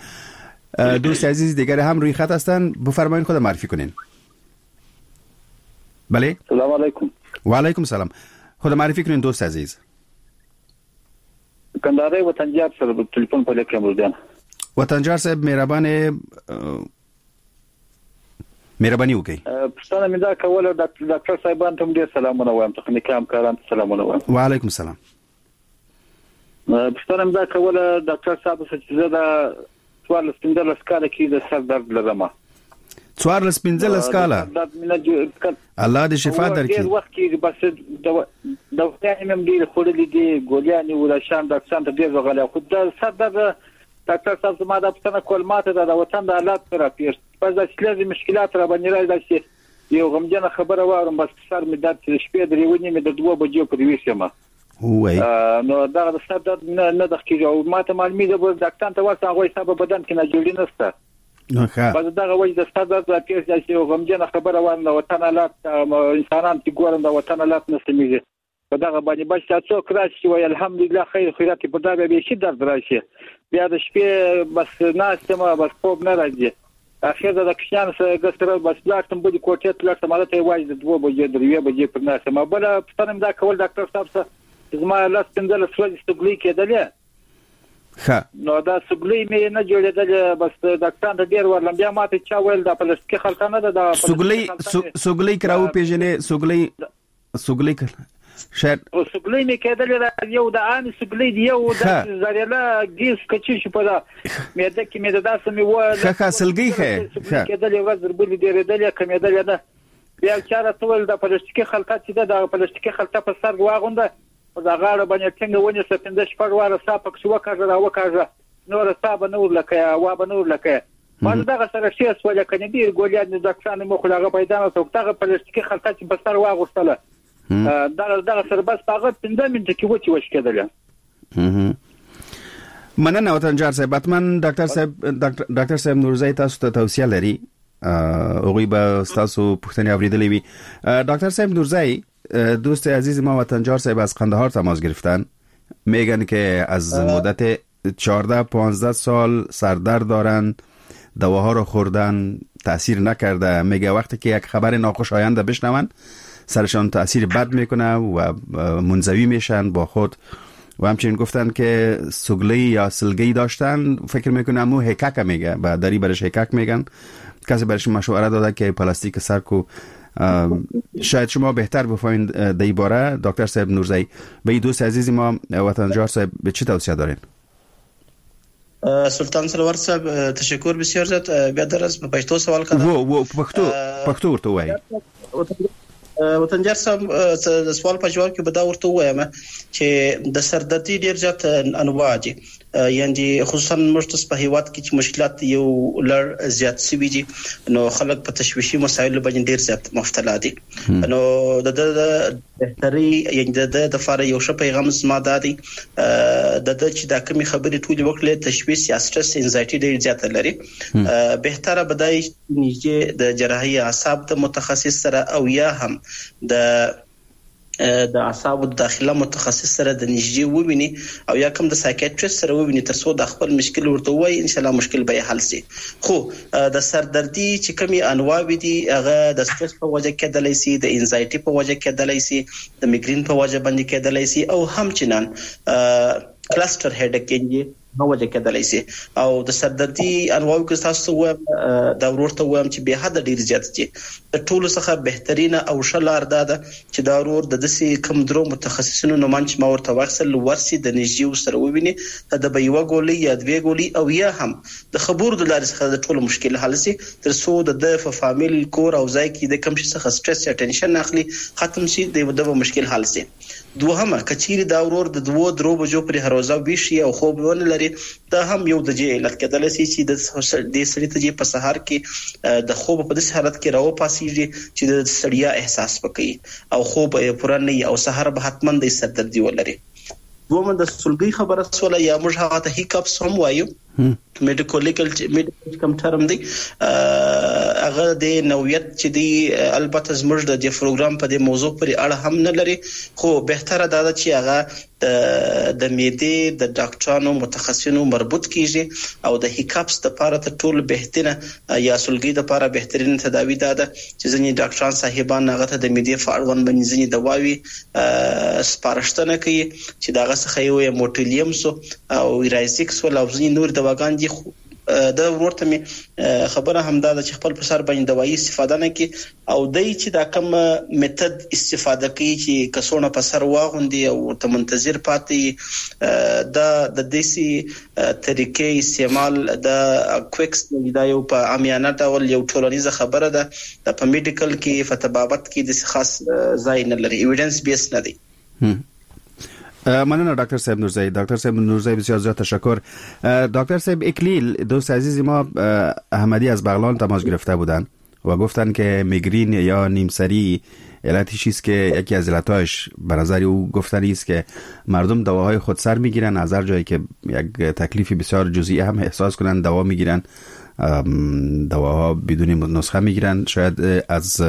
دوست عزیز دیگر هم روی خط هستن، بفرمایید خود معرفی کنین. بله. سلام علیکم. و علیکم سلام. خود معرفی کنین دوست عزیز. کندهاري وطنجار سره تليفون په لیکم ورځم. وطنجار صاحب مهربان مهرباني وکړئ. پوښتنه مې دا کوله ډاکټر صاحبان ته ډېر سلامونه وایم، تخنیکي همکاران ته سلامونه وایم. و علیکم سلام. پوښتنه مې دا کوله ډاکټر صاحب چې زه دا څوارلس پنځلس کاله کې د سر درد لرم. څوارلس پنځلس کاله؟ الله دې شفا درکړي. ډېر وخت کېږي، بس دواګانې مې هم ډېرې خوړلې دي، ګولیانې ولاشان ډاکټران ته ډېر ورغلی، خو د سر درد ډاکټر صاحب زما دا پوښتنه کول ماته ده د وطن د حالات راپېښ بس داسې لږ مشکلات راباندې راځي، داسې یو غمجنه خبره واورم بس سر مې درد چې د شپې درې نیمې د دوه بجو پورې ویښ یم. نو دغه د سر درد نه نه دغه کېږي او ماته معلومېږي به ډاکټران ته ورسم هغوی ستا په بدن کې ناجوړي نشته. بس دغه وجه د سر درد راپېښ داسې یو غمجنه خبره واورم د وطن حالات انسانان چې ګورم د وطن حالات نه سمېږي په دغه باندې بس دا څوک راشي چې وایي الحمدلله خیر خیرات په دا بیا بیخي درد راشي، بیا د شپې بس ناست یم بس خوب نه راځي. اخر د کوچنیانو سره سره بس لاړ شم بلې کوټې ته لاړ شم، هلته یوازې د دوه بجې درې بجې پر ناست یم. بله پوښتنه مې دا کول ډاکټر صاحب څه زما لس پنځلس ورځې سګلۍ کېدلې، ښه نو دا سګلۍ مې نه جوړېدلې، بس ډاکټران ته ډېر ورغلم، بیا ماته چا ویل دا پلاستیکي خلطه نه ده، دا سګلۍ سګلۍ که راوپېژنې سګلۍ سګلۍ شاید سګلۍ مې کېدلې ده، یو د عامې سګلۍ دی، یو د زریله ګیس کچې شو په دا معده کې مې د داسې مې وویل ښه ښه سلګۍ ښه ښه کېدلې ورځ تر بلې ډېرېدلې کمېدلې نه. بیا چا راته وویل دا پلاستیکي خلطه چې ده دا پلاستیکي خلطه په سر واغونده، په دا غاړه باندې ټینګه ونیسه، پنځه شپږ واره ساه پکښې وکاږه را وکاږه، نوره ساه به نه ورلکوې، هوا به نه ورلکوې. ما دغه سره ښې سولې که نه ډېرې ګولیانې ډاکټرانو مې وخوړې هغه پیدا نه شوه. دغه پلاستیکي خلطه چې په سر واغوستله دغه دغه سره بس په هغه پنځه منټه کې وچې وشکېدلې. مننه وطنجار صاحب. حتما ډاکټر صاحب ډاکټر صاحب نورزی تاسو ته توصیه لري، هغوی به ستاسو پوښتنې اورېدلې وي. ډاکټر صاحب نورزی، دوست عزیز ما وطنجار صاحب از قندهار تماس گرفتن، میگن که از مدت چهارده پانزده سال سردرد دارن، دواها رو خوردن تاثیر نکرده. میگه وقتی که یک خبر ناخوشایند بشنون سرشان تاثیر بد میکنه و منزوی میشن با خود. و همچنین گفتن که سگلی یا سلگی داشتن، فکر میکنم او هکک میگه و دری برش هکک میگن. کسی برش مشوره داده که پلاستیک سر کو. شاید شما بهتر بفهمید در این باره. دکتر صاحب نورزی، به این دوست عزیز ما وطنجار صاحب به چی توصیه دارین؟ سلطان سرور صاحب تشکر بسیار زیات. بیا درس په پښتو سوال کړه. وو وو پښتو پښتو ورته وایي. وطنجار صاحب د سوال په جواب کې به دا ورته ووایم چې د سردردي ډېر زیات انواع دي، یعنی خصوصا موږ تاسو په هیواد کې چې مشکلات یو لړ زیات شوي دي، نو خلک په تشویشي مسایلو باندې ډېر زیات مبتلا دي. نو د د بهتري یعنی د د لپاره یو ښه پیغام زما دا دی د د چې دا کومې خبرې ټولې وکړې، تشویش یا سټرس انزایټي ډېر زیاته لري، بهتره به دا نږدې د جراحي اعصاب د متخصص سره او یا هم د د اعصابو د داخله متخصص سره د نږدې وویني او یا کوم د سایکیټریست سره وویني تر څو د خپل مشکل ورته ووایي، ان شاء الله مشکل به یې حل شي. خو د سردردي چې کومې انواع دي هغه د سټرس په وجه کېدلی شي، د انزایټي په وجه کېدلی شي، د میګرین په وجه باندې کېدلی شي، او همچنان کلستر هډک یعنی په وجه کېدلی شي. او د سردردي انواعو کې تاسو وایم دا ورور ته وایم چې بې حده ډېر زیات دي. د ټولو څخه بهترینه او ښه لار دا ده چې دا ورور د داسې کوم درو متخصصینو نومان چې ما ورته واخیستل ورسي د نږدې ورسره وویني، د به یوه ګولۍ یا دوې ګولۍ او یا هم د خبرو د لارې څخه د ټولو مشکل حل شي، تر څو د ده په فامیل کور او ځای کې د کوم شي څخه سټرس یا ټینشن اخلي ختم شي، د ده به مشکل حل شي. دوهمه، که چیرې دا ورور د دوو درو بجو پورې هر ورځ ویښ شي او خوب ونه لري، دا هم یو د دې علت کېدلی شي چې د دې سړي ته چې په سهار کې د خوب په داسې حالت کې راوپاڅېږي چې د ستړیا احساس وکړي او خوب یې پوره نه وي او سهار به حتما د سردردي ولري. دومه د سلګۍ خبره سوله یا موږ هغه ته hiccups هم وایو، medical legal medical کوم term دی، هغه د نوعیت چې دی البته زموږ د دې پروګرام په دې موضوع پورې اړه هم نه لري، خو بهتره دا ده چې هغه د د معدې د ډاکټرانو متخصصینو مربوط کیږي او د hiccups لپاره تر ټولو بهترینه یا سلګۍ لپاره بهترینه تداوي دا ده چې ځینې ډاکټران صاحبان هغه ته د معدې په اړوند باندې ځینې دواوي سپارښتنه کوي چې د هغه څخه یو یې Motilium سو او رایزیک سو او ځینې نور دواګان دي. د ورور ته مې خبره هم دا ده چې خپل په سر باندې دوايي استفاده نه کړي او دی چې دا کوم method استفاده کوي چې کڅوړه په سر واغوندي او ورته منتظر پاتې، دا د داسې طریقې استعمال د quacks دا یو په عامیانه ډول یو ټولنیزه خبره ده، دا په medical کې په طبابت کې داسې خاص ځای نه لري، evidence base نه دی. مننه دکتر صاحب نورزایی. دکتر صاحب نورزایی بسیار زیاد تشکر. دکتر صاحب اکلیل، دوست عزیز ما احمدی از بغلان تماس گرفته بودن و گفتن که میگرین یا نیمسری علتش است که یکی از علتاش به نظر او گفتنی است که مردم دواهای خودسر میگیرن، از هر جایی که یک تکلیفی بسیار جزئی هم احساس کنن دوا میگیرن، دواها بدون نسخه میگیرن، شاید از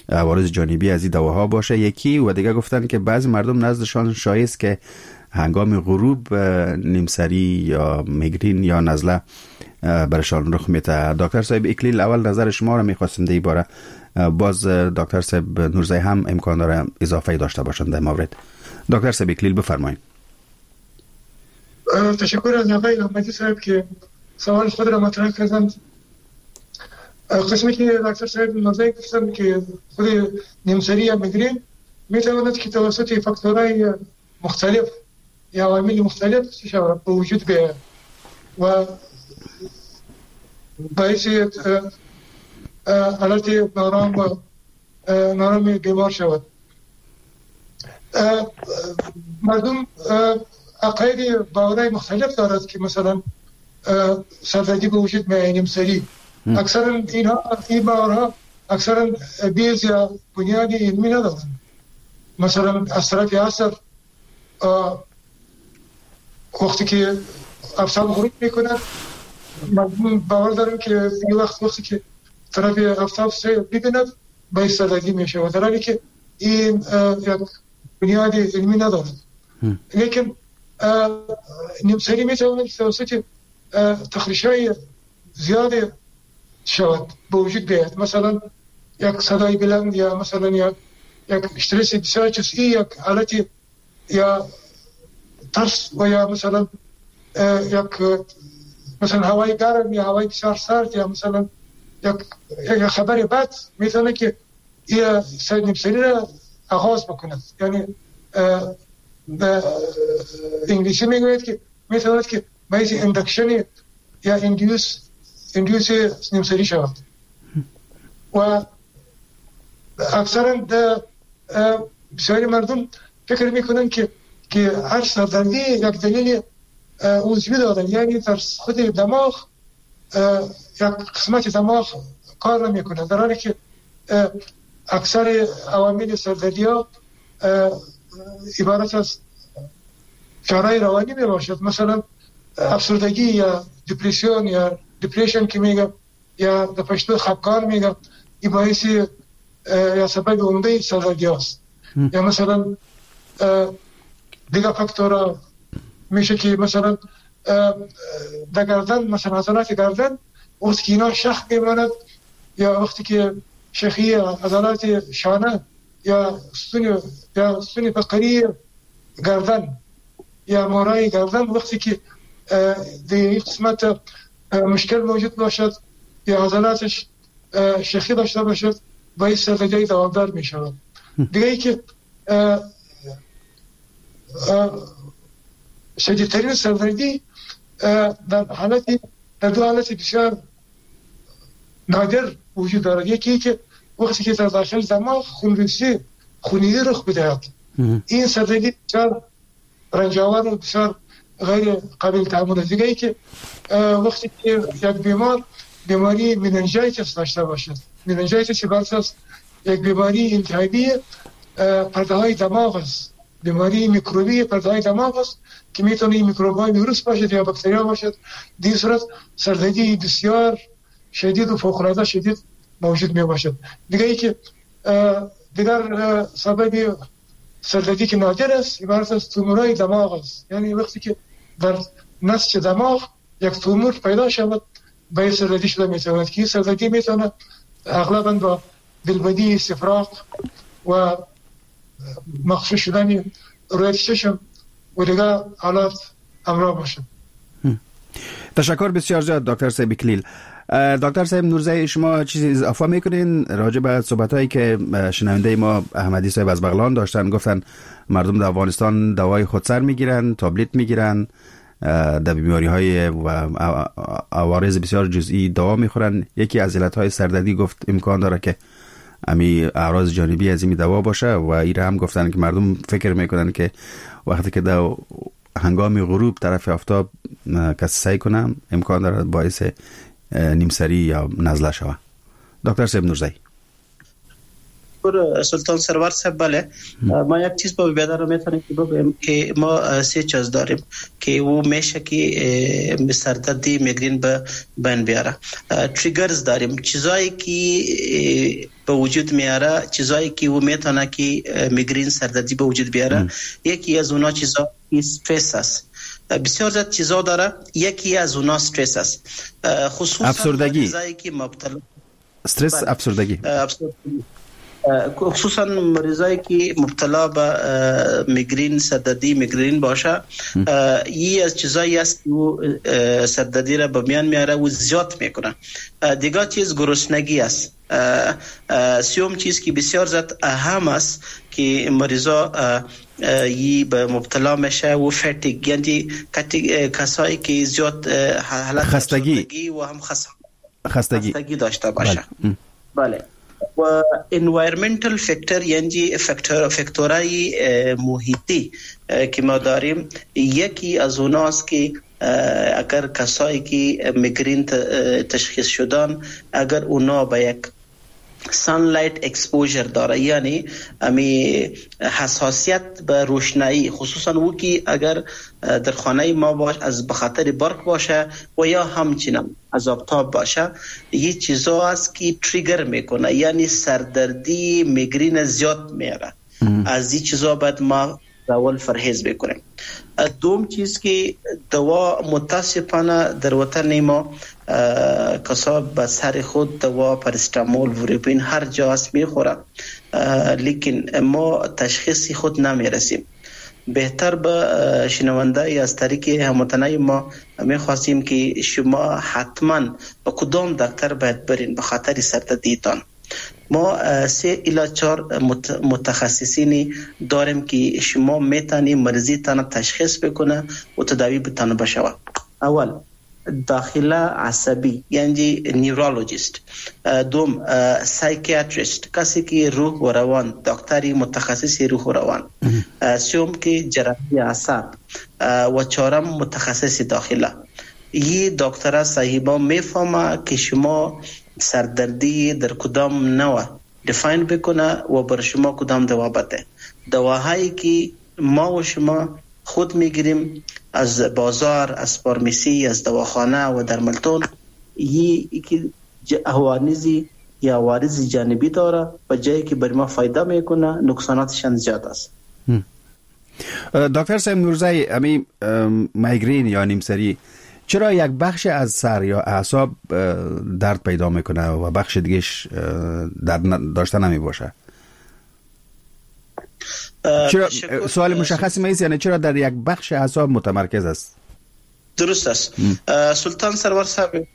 عوارض جانبی از این دواها باشه یکی. و دیگه گفتن که بعضی مردم نزدشان شایع است که هنگام غروب نیمسری یا میگرین یا نزله برشان رخ میده. دکتر صاحب اکلیل، اول نظر شما رو میخواستم در این باره، باز دکتر صاحب نورزایی هم امکان داره اضافه داشته باشند در مورد. دکتر صاحب اکلیل بفرمایید. تشکر از آقای احمدی صاحب که سوال خود را مطرح کردند. قسمی که دکتر صاحب نورزایی گفتند که خود نیمسری یا میگرین میتواند که توسط فاکتورهای مختلف یا عوامل مختلف به وجود بیاید و باعث حالت نارام و نارام بیمار شود. مردم عقاید باورهای مختلف دارد که مثلا سردردی به وجود میآید، نیمسری. اکثرا اینها این باورها اکثرا base یا بنیاد علمی ندارند. مثلا از طرف عصر وقتی که آفتاب غروب میکند مردم باور دارند که این وقت وقتی که طرف آفتاب ببیند باعث سردردی میشه و در حالی که این یک بنیاد علمی ندارد. لیکن نیمسری میتواند توسط تخریش‌های زیاد شود به وجود بیاید. مثلا یک صدای بلند یا مثلا یک یک استرس بسیار جزئی، یک حالت یا ترس و یا مثلا یک مثلا هوای گرم یا هوای بسیار سرد یا مثلا یک یک خبر بد میتونه که یه نیمسری را آغاز بکند. یعنی به انگلیسی میگوید که میتواند که باعث induction یا induce induce نیمسری شود و اکثرا بسیاری مردم فکر میکنن که که هر سردردی یک دلیل عضوی دارد، یعنی در خود دماغ یک قسمت دماغ کار نمیکنه، در حالی که اکثر عوامل سردردی ها عبارت از فشارهای روانی می باشد. مثلا افسردگی یا depression یا depression که میگه یا در پشتو خفقان میگه، این باعث یا سبب عمده سردردی است. یا مثلا دیگه فاکتورها میشه که مثلا در گردن، مثلا عضلات گردن وقتی که اینا شخ میماند یا وقتی که شخی عضلات شانه یا ستون یا ستون فقری گردن یا مورای گردن وقتی که در این قسمت مشکل موجود باشد یا عضلاتش شخی داشته باشد باعث سردردی دوامدار می شود. دیگه ای که شدیدترین سردردی در حالت در دو حالت بسیار نادر وجود دارد. یکی که وقتی که در داخل دماغ خونریزی خونریزی رخ بدهد، این سردردی بسیار رنجاور و بسیار غیر قابل تحمل است. دیگه ای که وقتی که یک بیمار بیماری meningitis داشته باشد، meningitis عبارت است یک بیماری التهابی پرده های دماغ است، بیماری میکروبی پرده دماغ است که میتونه این میکروب های ویروس باشد یا باکتریا باشد. در این صورت سردردی بسیار شدید و فوق العاده شدید موجود می باشد. دیگه ای که دیگر سبب سردردی که نادر است عبارت از تومورای دماغ است، یعنی وقتی که در نسج دماغ یک تومور پیدا شود به سردردی شده میتواند که سردردی میتواند اغلبا با دلبدی، استفراغ و مخشوش شدن روی چشم و دیگر حالات همراه باشد. تشکر بسیار زیاد دکتر صاحب کلیل. دکتر صاحب نورزی، شما چیزی اضافه میکنین راجع به صحبت هایی که شنونده ما احمدی صاحب از بغلان داشتن؟ گفتن مردم در افغانستان دوای خودسر میگیرن، تابلت میگیرن، در بیماری های و عوارض بسیار جزئی دوا میخورن. یکی از علت های سردردی گفت امکان داره که امی اعراض جانبی از این دوا باشه و ایره هم گفتن که مردم فکر میکنن که وقتی که در هنگام غروب طرف آفتاب کسی سعی کنه امکان داره باعث نیمسری یا نزله شوه. دکتر صاحب نورزی. سلطان سرور صاحب، بله، ما یک چیز با بیادر رو میتونیم که بگویم که ما سه چیز داریم که او میشه که سردردی میگرین به بین بیاره. triggers داریم، چیزایی که به وجود میاره، چیزایی که او میتونه که میگرین سردردی به وجود بیاره. یکی از اونا چیزا استرس است. بسیار زیاد چیزا داره، یکی از اونا استرس است، خصوصا افسردگی، چیزایی که مبتلا استرس، افسردگی، افسردگی، خصوصا مریضایی که مبتلا به میگرین، سردردی میگرین باشه، یه از چیزایی است که او سردردی را به میان میاره و زیاد میکنه. دیگه چیز گرسنگی است. سوم چیز که بسیار زیاد اهم است که مریضا یی به مبتلا میشه و fatigue، یعنی کسایی که زیاد حالت خستگی و هم خستگی خستگی داشته باشه. بله. و environmental factor، یعنی فاکتور فاکتورای محیطی که ما داریم، یکی از اوناست که اگر کسایی که میگرین تشخیص شدن، اگر اونا به یک sunlight exposure داره، یعنی امی حساسیت به روشنایی، خصوصا او که اگر در خانه ما باش از بخاطر برق باشه و یا همچنین از آفتاب باشه، یه چیزا است که trigger میکنه، یعنی سردردی میگرین زیاد میاره. از این چیزا باید ما اول پرهیز بکنیم. دوم چیز که دوا متاسفانه در وطن ما کسا به سر خود دوا پاراستامول وریپین هر جا است میخوره، لیکن ما تشخیص خود نمیرسیم. بهتر به شنونده از طریق هموطنای ما میخواستیم که شما حتما به کدام دکتر باید برین به خاطر سردردیتان. ما سه الی چهار متخصصین داریم که شما میتونی مرضی تان تشخیص بکنه و تداوی بتانه بشوه. اول داخله عصبی یعنی neurologist، دوم psychiatrist کسی که روح و روان، دکتری متخصص روح و روان، سوم که جراحی اعصاب و چهارم متخصص داخله. یه دکتر صاحبا میفهمه که شما سردردی در کدام نوع define بکنه و بر شما کدام دوا بده. دواهایی که ما و شما خود میگیریم از بازار، از pharmacy، از دواخانه و درملتون، یکی عوارضی یا عوارض جانبی داره و جایی که بر ما فایده میکنه نقصاناتش زیاد است. دکتر صاحب نورزی، امی میگرین یا نیمسری چرا یک بخش از سر یا اعصاب درد پیدا میکنه و بخش دیگهش درد داشته نمی باشه؟ چرا سوال مشخصی ما ایست، یعنی چرا در یک بخش اعصاب متمرکز است؟ درست است. سلطان سرور صاحب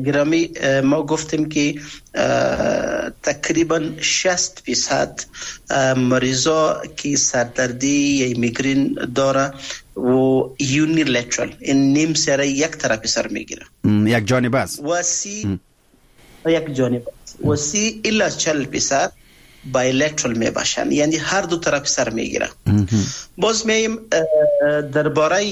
گرامی، ما گفتیم که تقریبا شصت درصد مریضا که سردردی یا میگرین داره و unilateral، این نیم سر یک طرف سر میگیره، یک جانب است و سی یک جانب است و سی الی چهل درصد bilateral می باشن، یعنی هر دو طرف سر میگیره. باز میایم درباره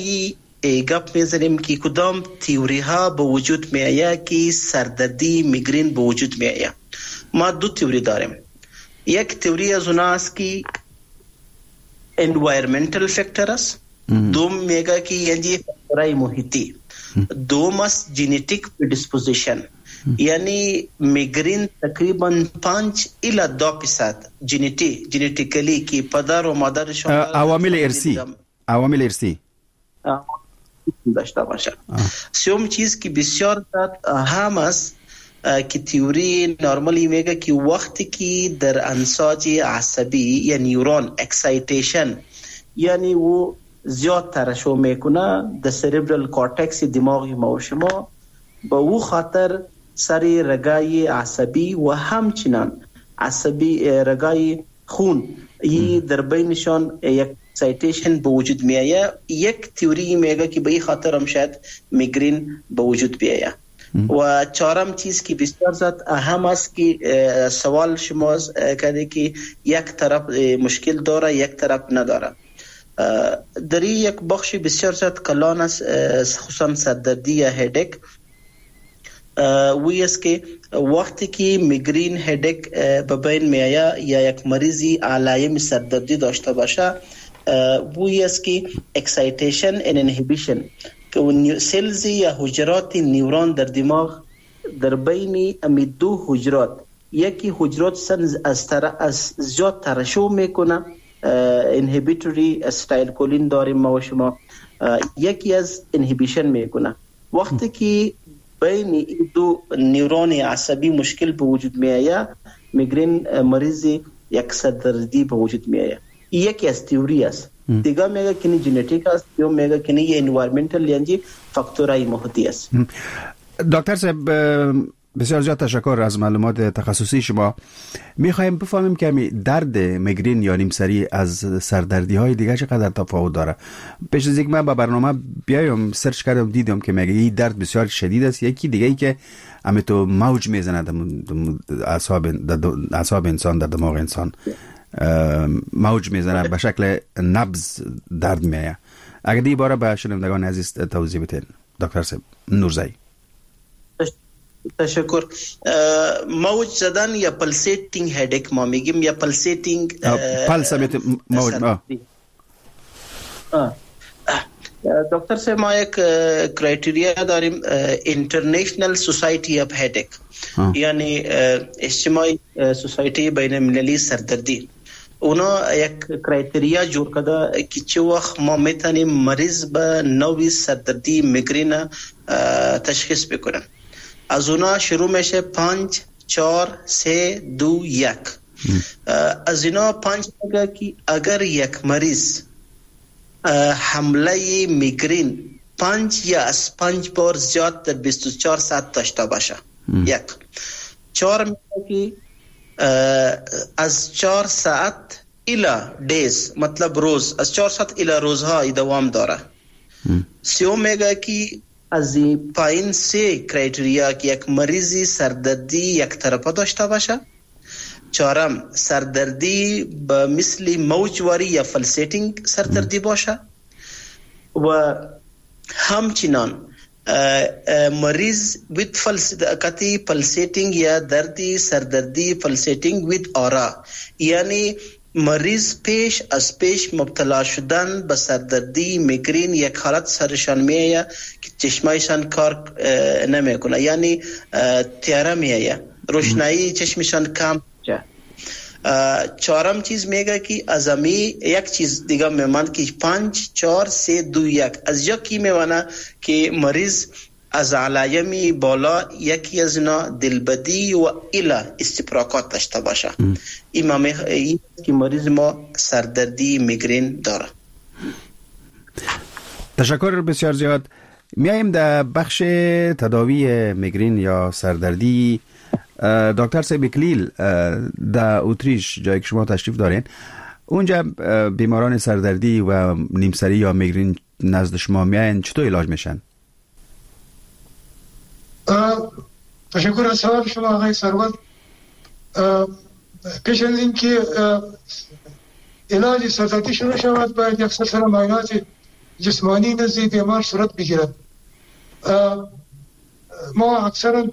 گپ میزنیم که کدام تیوری ها به وجود می آید که سردردی میگرین به وجود می آید. ما دو تیوری داریم. یک تیوری از اونها است که environmental factor است، دوم میگه که یعنی فاکتورهای محیطی، دوم است genetic predisposition، یعنی میگرین تقریبا پنج الی ده درصد ژنتی genetically که پدر و مادرشون عوامل ارثی عوامل ارثی داشته باشه. سوم چیز که بسیار اهم است که تئوری نرمالی میگه که وقتی که در انساج عصبی یا neuron excitation، یعنی او زیاد ترشح میکنه در cerebral cortex دماغ ما و شما، به او خاطر سر رگای عصبی و همچنان عصبی رگای خون ای در بینشان یک excitation به وجود میآید. یک تئوری میگه که به این خاطر هم شاید میگرین به وجود بیاید. و چهارم چیز که بسیار زیاد اهم است که سوال شما کرده که یک طرف مشکل داره یک طرف نداره، در یک بخش بسیار زیاد کلان است، خصوصا سردردی یا headache، وی است که وقتی که میگرین headache به بین میآید یا یک مریضی علایم سردردی داشته باشه، وی است که excitation and inhibition که cells یا حجرات نیورون در دماغ در بین امی دو حجرات، یکی حجرات سن از تر از زیاد ترشح میکنه، inhibitory acetylcholine داریم ما و شما، یکی از inhibition میکنه. وقتی که بین این دو نیورون عصبی مشکل به وجود میآید، میگرین مریض یک سردردی به وجود میآید. یکی از تئوری است. دیگه میگه که ژنتیک است، یا میگه که نه environmental یعنی فاکتورهای محیطی است. دکتر صاحب بسیار زیاد تشکر از معلومات تخصصی شما. میخوایم بفهمیم که درد میگرین یا نیمسری از سردردی های دیگه چقدر تفاوت داره. پیش از اینکه من با برنامه بیایم search کردم، دیدم که میگه این درد بسیار شدید است، یکی دیگه ای که همه تو موج میزنه اعصاب اعصاب انسان، در دماغ انسان موج میزنه، به شکل نبض درد میآید. اگر دی باره به شنوندگان عزیز توضیح بدین دکتر صاحب نورزایی. تشکر. موج زدن یا pulsating headache ما میگیم، یا pulsating پلس موج. دکتر صاحب ما یک criteria داریم، International Society of Headache، یعنی اجتماعی society بین المللی سردردی. اونا یک criteria جور کرده که چه وقت ما میتونیم مریض به نوع سردردی میگرین تشخیص بکنیم. از اونا شروع میشه پنج چهار سه دو یک. از اینا پنج میگه که اگر یک مریض حمله میگرین پنج یا از پنج بار زیاد در بیست و چهار ساعت داشته باشه، یک. چهار میگه که از چهار ساعت الی days، مطلب روز، از چهار ساعت الی روزها دوام داره. سیوم میگه که از پایین سه criteria که یک مریضی سردردی یک طرفه داشته باشه. چهارم سردردی به مثل موجواری یا pulsating سردردی باشه و همچنان مریض with کتی pulsating یا دردی سردردی pulsating with aura، یعنی مریض پیش از پیش مبتلا شدن به سردردی میگرین یک حالت سرشان میآید که چشمایشان کار نمیکنه، یعنی تیاره میآید، روشنایی چشمشان کم میشه. چهارم چیز میگه که از امی یک چیز دیگه میماند که پنج چهار سه دو یک، از یکی میمانه که مریض از علایم بالا یکی از اینا دلبدی و الی استفراغات داشته باشه. این این که مریض ما سردردی میگرین داره. تشکر بسیار زیاد. میایم در بخش تداوی میگرین یا سردردی. دکتر صاحب کلیل در اتریش جایی که شما تشریف دارین، اونجا بیماران سردردی و نیمسری یا میگرین نزد شما میاین، چطور علاج میشن؟ تشکر از سوال شما آقای سرور. پیش از اینکه علاج سردردی شروع شود باید یک سلسله معاینات جسمانی نزد بیمار صورت بگیرد. ما اکثرا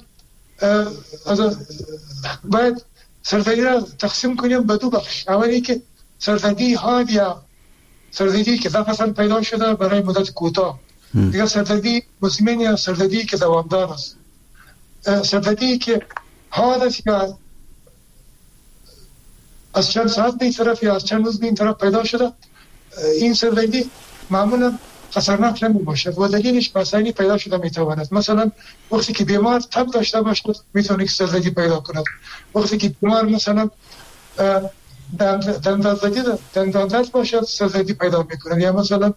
باید سردردی را تقسیم کنیم به دو بخش. اولی که سردردی حاد یا سردردی که دفعتا پیدا شده برای مدت کوتاه، دیگر سردردی مزمن یا سردردی که دوامدار است، سردردی که حاد است یا از چند ساعت به این طرف یا از چند روز به این طرف پیدا شده، این سردردی معمولا خطرناک نمی باشد و دلیلش مسائلی پیدا شده می تواند. مثلا وقتی که بیمار تب داشته باشد می تواند که سردردی پیدا کند، وقتی که بیمار مثلا دندان دندان درد باشد سردردی پیدا می کند، یا مثلا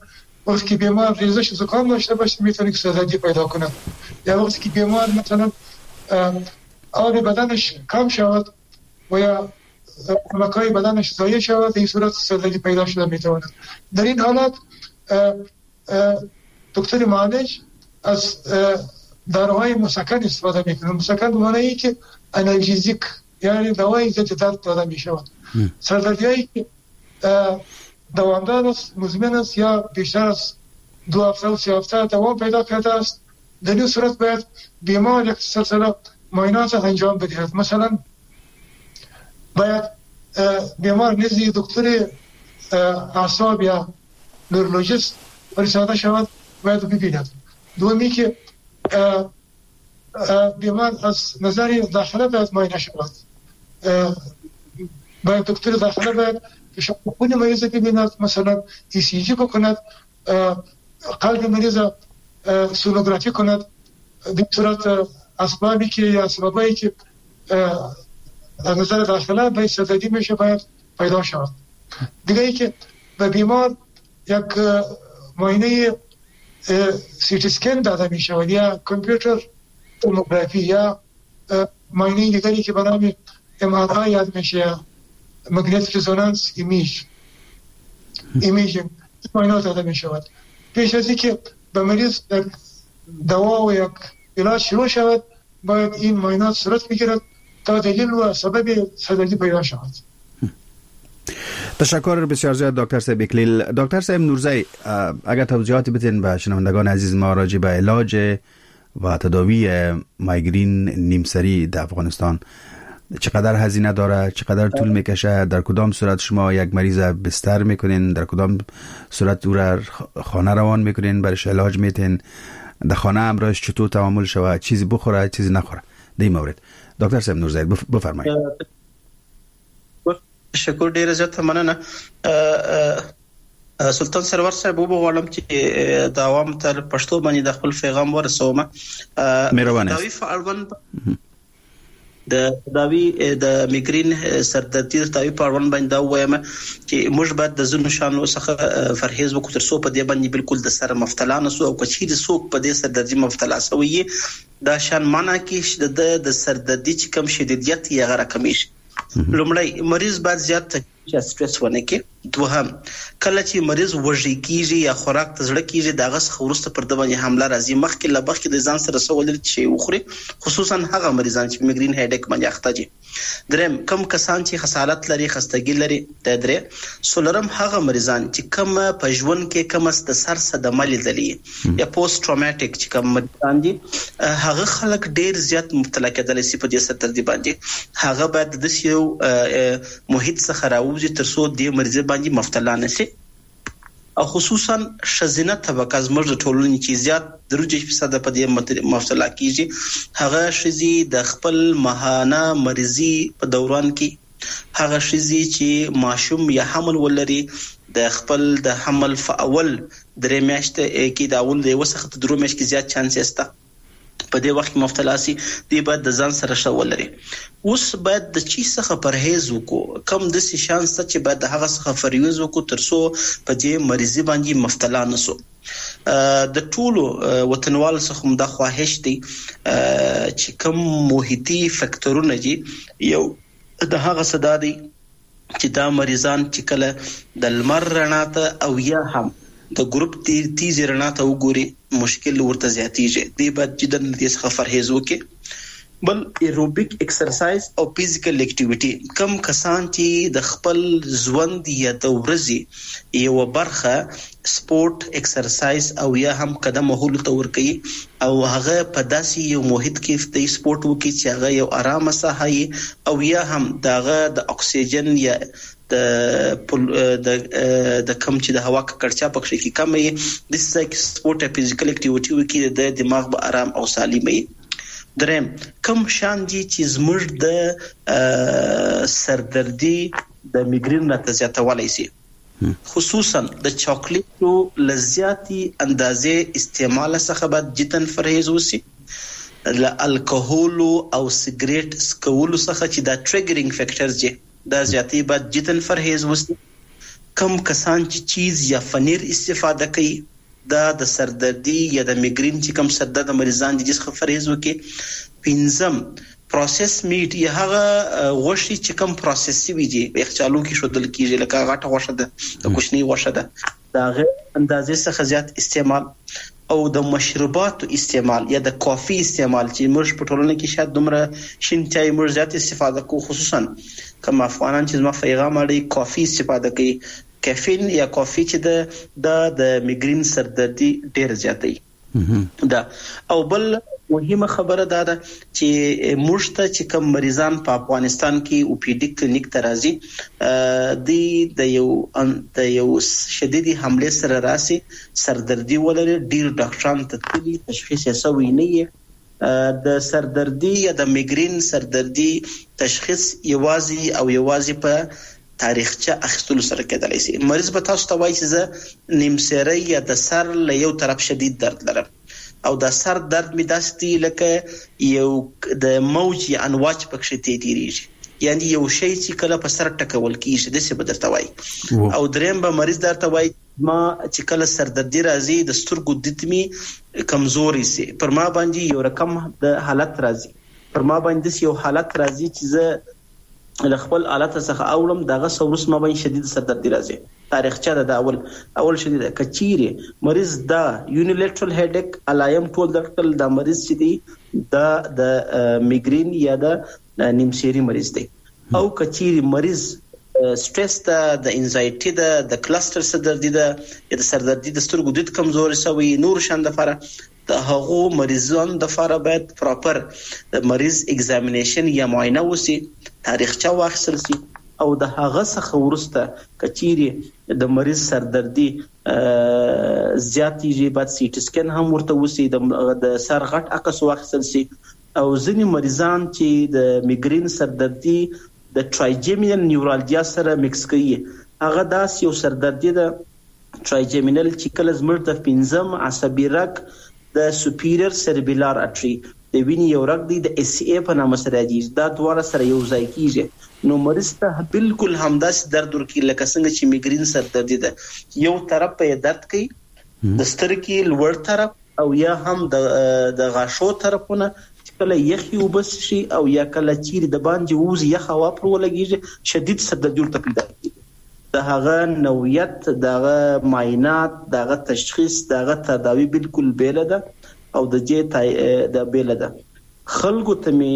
وقتی که بیمار ریزش زکام داشته باشد می تواند که سردردی پیدا کند، یا وقتی که بیمار مثلا آب بدنش کم شود و یا مکای بدنش ضایع شود، این صورت سردردی پیدا شده می تواند. در این حالت دکتر معالج از داروهای مسکن استفاده میکنه. مسکن به معنی ای که analgesic، یعنی دوای ضد درد داده می شود. سردردی که دوامدار است، مزمن است یا بیشتر از دو هفته و سه هفته دوام پیدا کرده است، در این صورت باید بیمار یک سلسله معاینات انجام بدهد. مثلا باید بیمار نزد دکتر اعصاب یا neurologist فرستاده شود، باید ببیند. دومی که بیمار از نظر داخله باید معاینه شود، باید دکتر داخله باید فشار خون مریض ببیند، مثلا ای سی جی بکند، قلب مریض سونوگرافی کند. در صورت اسبابی که یا سببایی که از نظر داخله باید سردردی میشه باید پیدا شود. دیگه ای که به بیمار یک معاینه سی تی اسکن داده می شود یا کامپیوتر توموگرافی یا معاینه دیگری که به نام ام آر آی یاد میشه یا magnetic resonance image imaging، معاینات داده می شود. پیش از اینکه به مریض یک دوا و یک علاج شروع شود باید این معاینات صورت بگیرد تا دلیل و سبب سردردی پیدا شود. تشکر بسیار زیاد دکتر صاحب اکلیل. دکتر صاحب نورزی، اگر توضیحات بدین به شنوندگان عزیز ما راجع به علاج و تداوی مایگرین نیمسری در افغانستان، چقدر هزینه داره، چقدر طول میکشه، در کدام صورت شما یک مریض بستر میکنین، در کدام صورت او را خانه روان میکنین، برش علاج میتین، در خانه امراش چطور تعامل شود، چیزی بخوره چیزی نخوره، در این مورد دکتر صاحب نورزی بفرمایید. تشکر ډیره زیاته مننه سلطان سرور صاحب. وغواړم چې د عوام تر پښتو باندې د خپل پیغام ورسوم. مهرباني. تداوي په اړوند د تداوي د میګرین سردردي د تداوي په اړوند باندې دا ووایم چې موږ باید د ځینو شیانو څخه پرهیز وکړو تر څو په دې باندې بالکل د سره مبتلا نه سو، او که چیرې څوک په دې سردردي مبتلا سوی دا شان منع کړي چې د د سردردي چې کوم شدیدیت یې هغه راکمېږي. لومړی، مریض باید زیات یا سترس ونه کړي. دوهم، کله چې مریض وږی کیږي یا خوراک ته زړه کیږي د هغه څخه وروسته پر ده باندې حمله راځي، مخکې له مخکې د ځان سره څه ولري چې وخوري، خصوصا هغه مریضان چې migraine headache باندې اخته دي. دریم، کم کسان چې خسالت لري، خستګي لري. د درې څلورم، هغه مریضان چې کم په ژوند کې کم د سر صدمه لیدلې یا post traumatic چې کوم مریضان دي، هغه خلک ډیر زیات مبتلا کېدلی شي په دې سردردي باندې. هغه باید د داسې یو محیط څخه راووځي تر څو دې مریض باندې مبتلا نه شي. او خصوصا ښځینه طبقه زموږ د ټولنې چې زیات درې فیصده په دې مبتلا کیږي، هغه ښځې د خپل ماهانه مریضي په دوران کې، هغه ښځې چې ماشوم یا حمل ولري د خپل د حمل په اول درې میاشتې کې، د اول د یوه څخه تر درو میاشتو کې زیات چانس یې شته په دې وخت کې مبتلا سي، دوی باید د ځان سره ښه ولري. اوس باید د چی څخه پرهیز وکړو، کم داسې شیان شته چې باید د هغه څخه پرهیز وکړو تر څو په دې مریضي باندې مبتلا نه سو. د ټولو وطنوالو څخه هم دا خواهش دی چې کوم محیطي فکتورونه دي، یو د هغه څه دا دی چې دا مریضان چې کله د لمر رڼا ته او یا هم د ګروپ تیزې رڼا ته وګوري مشکل ورته زیاتیږي، دوی باید جدا له دې څخه پرهیز وکړي. بل aerobic exercise او physical activity، کم کسان چې د خپل ژوند یا د ورځې یوه برخه سپورت، اکسرسایز او یا هم قدم وهلو ته ورکوي او هغه په داسې یو محیط کې د سپورت وکړي چې هغه یو ارامه ساحه وي او یا هم د هغه د اکسیجن یا د د د کم چې د هوا ککړتیا پکښې کې کمه وي، داسې ځای کې سپورت یا فزیکل اکټیویټي وکړي، د دماغ به ارام او سالم وي. دریم، کوم شان دي چې زموږ د سردردي د میګرین راته زیاتولی شي، خصوصا د چاکلیټو له زیاتې اندازې استعمال څخه باید جدا پرهیز وشي، له الکهولو او سګریټ څکولو څخه چې دا triggering factors دي دا زیاتې باید جدا پرهیز وشي. کم کسان چې چیز یا فنیر استفاده کوي دا د سردردي یا د میګرین چې کوم سردرد مریضان دي څخه پرهیز وکړي. پنځم، processed meat یا هغه غوښې چې کوم process شوي دي په یخچالو کې ښودل کېږي، لکه غټه غوښه ده، د کوچنۍ غوښه ده، د هغې اندازې څخه زیات استعمال او د مشروباتو استعمال یا د کافي استعمال چې موږ په ټولنه کې شاید دومره شین چای موږ زیات استفاده کوو، خصوصا کوم افغانان چې زما پیغام اړي کافي استفاده کوي، کافین یا کافي چې ده دا د میګرین سردردي ډېره زیاتوي ده. او بل مهمه خبره دا ده چې موږ ته چې کوم مریضان په افغانستان کې او پی ډي کلینیک ته راځي، دوی د یو د یو شدیدې حملې سره راسي، سردردي ولري، ډېر ډاکټران ته تللي، تشخیص یې سوی نه وي. د سردردي یا د میګرین سردردي تشخیص یوازې او یوازې په تاریخچه اخیستلو سره کېدلی شي. مریض به تاسو ته وایي چې زه نیمسیری یا د سر له یو طرف شدید درد لرم او د سر درد مې داسې دی لکه یو د موج یا انواج پکښې تېرېږي، یعنی یو شی چې کله په سر ټکول کېږي داسې به درته وایي. او دریم به مریض درته وایي ما چې کله سردردي راځي د سترګو دید مې کمزوری سي، پر ما باندې یو رقم د حالت راځي، پر ما باندې داسې یو حالت راځي چې زه له خپل حالت څخه اوړم، دغه څه وروسته ما باندې شدید سردردي راځي. تاریخچه ده دا اول اول شدید. که چیرې مریض دا unilateral headache علایم ټول درکړل، دا مریض چې دی دا د میګرین یا د نیمسیري مریض دی. او که چیرې مریض سټرس ده، د anxiety ده، د cluster سردردي ده یا د سردردي د سترګو دید کمزوري سوی نور شان دپاره، د هغو مریضانو دپاره باید proper د مریض examination یا معاینه وسي، تاریخچه واخیستل سي او د هغه څخه وروسته که چیرې د مریض سردردي زیاتېږي باید CT scan هم ورته وسي، د سر غټ عکس واخیستل سي. او ځینې مریضان چې د میګرین سردردي د trigeminal neuralgia سره mix کوي، هغه داسې یو سردردي ده trigeminal چې کله زموږ د پنځم عصبي رګ د superior cerebellar artery د وینې یو رګ دی د اس ای په نامه سره یادېږي، دا دواړه سره یو ځای کېږي، نو مریض ته بالکل همداسې درد ورکوي لکه څنګه چې میګرین سردردي ده، یو طرف به یې درد کوي د سترګې لوړ طرف او یا هم د د غاښو طرفونه، چې کله یخې اوبه شي او یا کله چیرې د باندې ووځي یخ هوا پر ولګېږي شدید سردردي ورته پیدا کېږي. د هغه نوعیت، د هغه معاینات، د هغه تشخیص، د هغه تداوي بالکل بېله ده او د دې د بېله ده. خلکو ته مې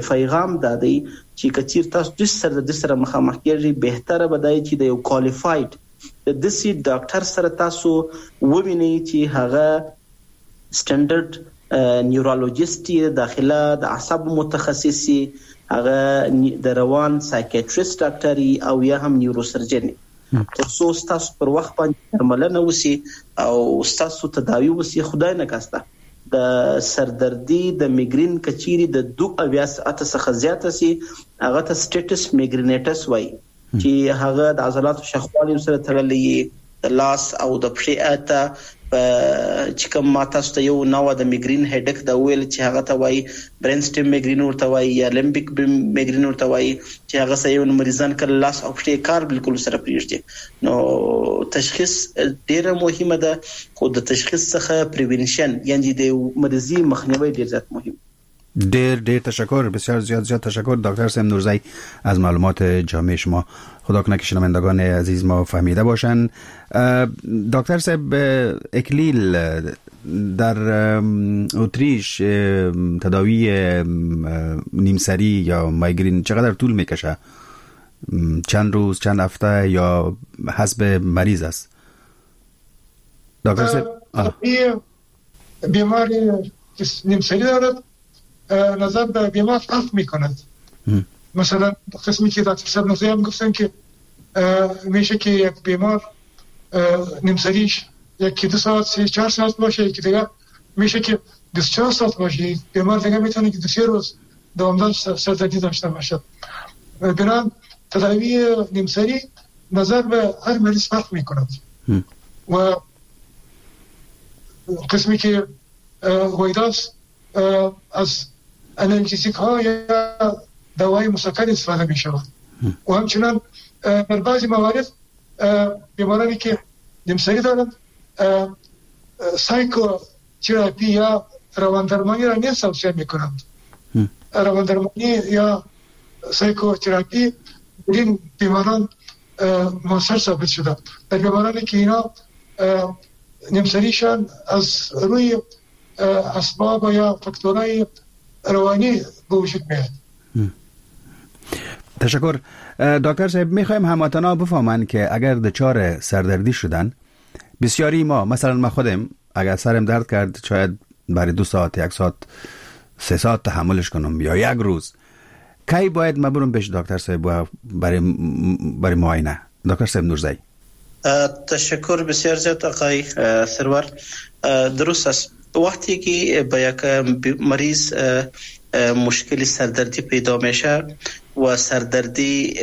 پیغام دا دی چې که چیرې تاسو داسې سردردي سره مخامخ کېږئ، بهتره به دا وي چې د یو qualified د داسې ډاکټر سره تاسو ووینئ چې هغه standard neurologist یې، داخله د اعصابو متخصص یې، هغه د روان psychiatrist ډاکټر او یا هم neurosurgeon، تر څو ستاسو پر وخت باندې درملنه وسي او ستاسو تداوي وسي. خدای نه کاسته د سردردي د میګرین که چیرې د دوه اویا ساعته څخه زیاته سي هغه ته status migrainosus وایي، چې هغه د عضلاتو شخوالي سره تړلی، د لاس او د پښې ته چې کوم ما تاسو ته یو نوع د migraine headache دا وویل چې هغه ته وایي brain stem migraine ورته وایي یا limbic migraine ورته وایي، چې هغه سره یو مریضان کله لاس او پښې کار بالکل سره پرېږدي. نو تشخیص ډېره مهمه ده، خو د تشخیص څخه prevention یعنی د مریضي مخنیوی ډېر زیات مهم. ډیر ډیر تشکر، بسیار زیاد زیاد تشکر دکتر صاحب نورزی از معلومات جامع شما. خدا کنه که شنوندگان عزیز ما فهمیده باشن. دکتر صاحب اکلیل، در اتریش تداوی نیمسری یا مایگرین چقدر طول میکشه؟ چند روز، چند هفته یا حسب مریض است؟ دکتر صاحب، بیماری که نیمسری دارد نظر به بیمار فرق میکند. مثلا قسمی که دکتر صاحب نوزی هم گفتن که میشه که یک بیمار نیمسریش یکی دو ساعت سه چهار ساعت باشه، یکی دیگه میشه که بیست و چهار ساعت باشه. بیمار دیگه میتونه که دو سه روز دوامدار سردردی داشته باشد. بنابراین تداوی نیمسری نظر به هر مریض فرق میکند و قسمی که ویداس از انالژیک ها یا دوای مسکن استفاده می شود و همچنان در بعضی موارد بیمارانی که نیمسری دارند سایکوتراپی یا رواندرمانی را نیز توصیه می کنند. رواندرمانی یا سایکوتراپی در این بیماران موثر ثابت شده. در بیمارانی که اینا نیمسریشان از روی اسباب یا فاکتورهای روانی به وجود میاد. تشکر دکتر صاحب. میخوایم هموطنا بفهمن که اگر دچار سردردی شدن، بسیاری ما مثلا ما خودم اگر سرم درد کرد شاید برای دو ساعت، یک ساعت، سه ساعت تحملش کنم یا یک روز، کی باید ما برم پیش دکتر صاحب برای برای معاینه؟ دکتر صاحب نورزی. تشکر بسیار زیاد آقای سرور. درست است. وقتی که به یک مریض مشکل سردردی پیدا میشه و سردردی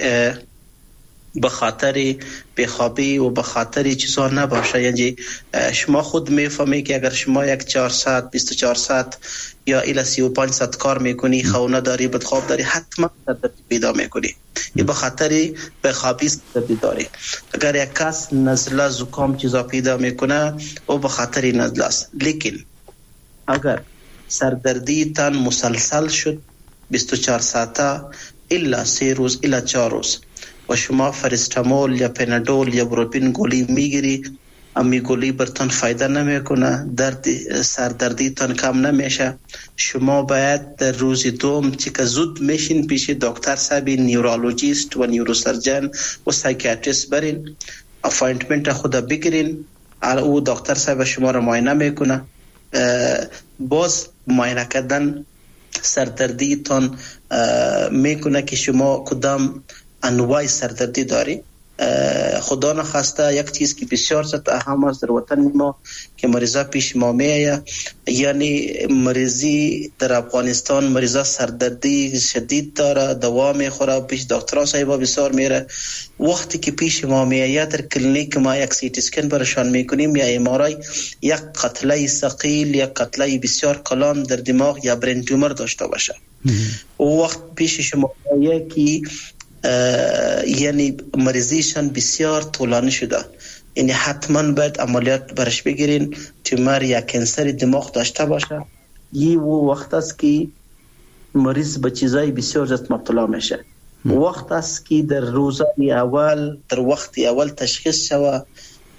به خاطر بیخوابی و به خاطر چیزا نباشه، یعنی شما خود میفهمی که اگر شما یک چهار ساعت بیست و چهار ساعت یا الی سی و پنج ساعت کار میکنی، خونه داری، بدخواب داری، حتما سردردی پیدا میکنی. این به خاطر بیخوابی سردردی داری. اگر یک کس نزله زکام چیزا پیدا میکنه، او به خاطر نزله است. لیکن اگر سردردی تان مسلسل شد بیست و چهار ساعته الا سه روز الا چهار روز و شما فرستامول یا پنادول یا بروپین گولی میگیری، امی گولی برتان فایده نمیکنه، درد سردردی تان کم نمیشه، شما باید در روز دوم که زود میشین پیش دکتر صاحب neurologist و neurosurgeon و psychiatrist برین، appointment خود بگیرین، او دکتر صاحب شما را معاینه میکنه. باز معاینه کردن سردردی تان میکنه که شما کدام انواع سردردی داری. خدا نخواسته یک چیز که بسیار زیاد اهم است در وطن ما که مریضا پیش ما میآید، یعنی مریضی در افغانستان مریضا سردردی شدید داره، دوا میخوره، پیش دکترها صاحبا بسیار میره. وقتی که پیش ما میآید در کلینیک ما یک سی تی اسکن برشان میکنیم یا ام آر آی، یک قتله ثقیل یا قتله بسیار کلان در دماغ یا brain tumor داشته باشه، او وقت پیش شما میآید که یعنی مریضیشان بسیار طولانی شده، یعنی حتما باید عملیات برش بگیرین، تومر یا cancer دماغ داشته باشه. یه وقت است که مریض به چیزای بسیار زیاد مبتلا میشه. وقت است که در روزهای اول، در وقت اول تشخیص شوه،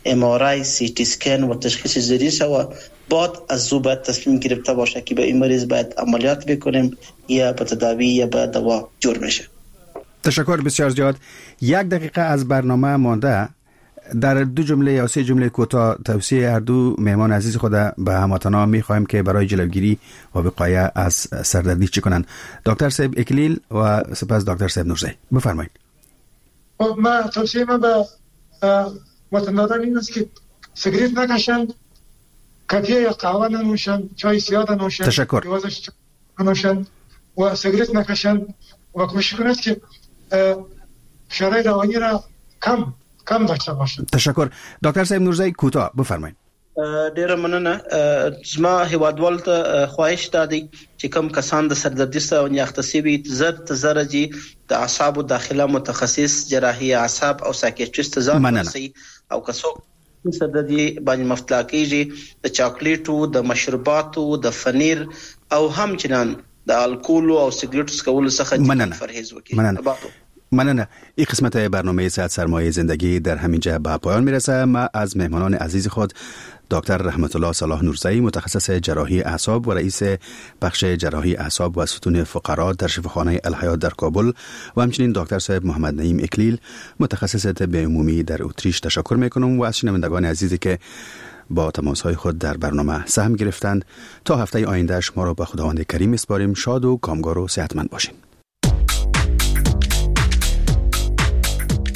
ام آر آی، سی تی اسکن و تشخیص زیری شوه، بعد از او باید تصمیم گرفته باشه که به این مریض باید عملیات بکنیم یا به تداوی یا به دوا جور میشه. تشکر بسیار زیاد. یک دقیقه از برنامه مانده. در دو جمله یا سه جمله کوتاه توصیه هر دو مهمان عزیز خود به هموطنان میخوایم که برای جلوگیری و وقایه از سردردی چه کنند. دکتر صاحب اکلیل و سپس دکتر صاحب نورزی، بفرمایید. ما توصیه ما به وطنداران این است که سیگریت نکشند، کافی یا قهوه ننوشند، چای سیاه ننوشند. تشکر. ننوشند و سیگریت نکشند و کوشش کنند که فشارهای روانی را کم کم داشته باشند. تشکر. دکتر صاحب نورزی کوتاه بفرمایید. ډیره مننه. زما هیوادوال ته خواهش دا دی چې کوم کسان د سردردي سره اخته شوي، زر تر زره جي د اعصابو داخله متخصص جراحي اعصاب او psychiatrist ته ځان ورسوي، او که څوک سردردي باندې مبتلا کیږي د چاکلیټو، د مشروباتو، د فنیر او همچنان د الکول او سیګریټ څکولو څخه پرهیز وکړي. مننه. مننه. این قسمت برنامه صحت سرمایه زندگی در همینجا به پایان میرسه. ما از مهمانان عزیز خود دکتر رحمت الله صلاح نورزایی، متخصص جراحی اعصاب و رئیس بخش جراحی اعصاب و ستون فقرات در شفاخانه الحیات در کابل، و همچنین دکتر صاحب محمد نعیم اکلیل، متخصص طب عمومی در اتریش تشکر میکنم و از شنوندگان عزیزی که با تماس های خود در برنامه سهم گرفتند. تا هفته آینده شما را به خداوند کریم میسپاریم. شاد و کامگار و صحتمند باشین.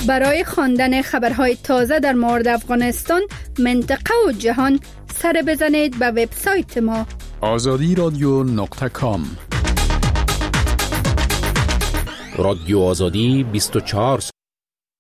برای خواندن خبرهای تازه در مورد افغانستان، منطقه و جهان سر بزنید به وبسایت ما آزادی رادیو نقطه کام. رادیو آزادی بیست و چهار.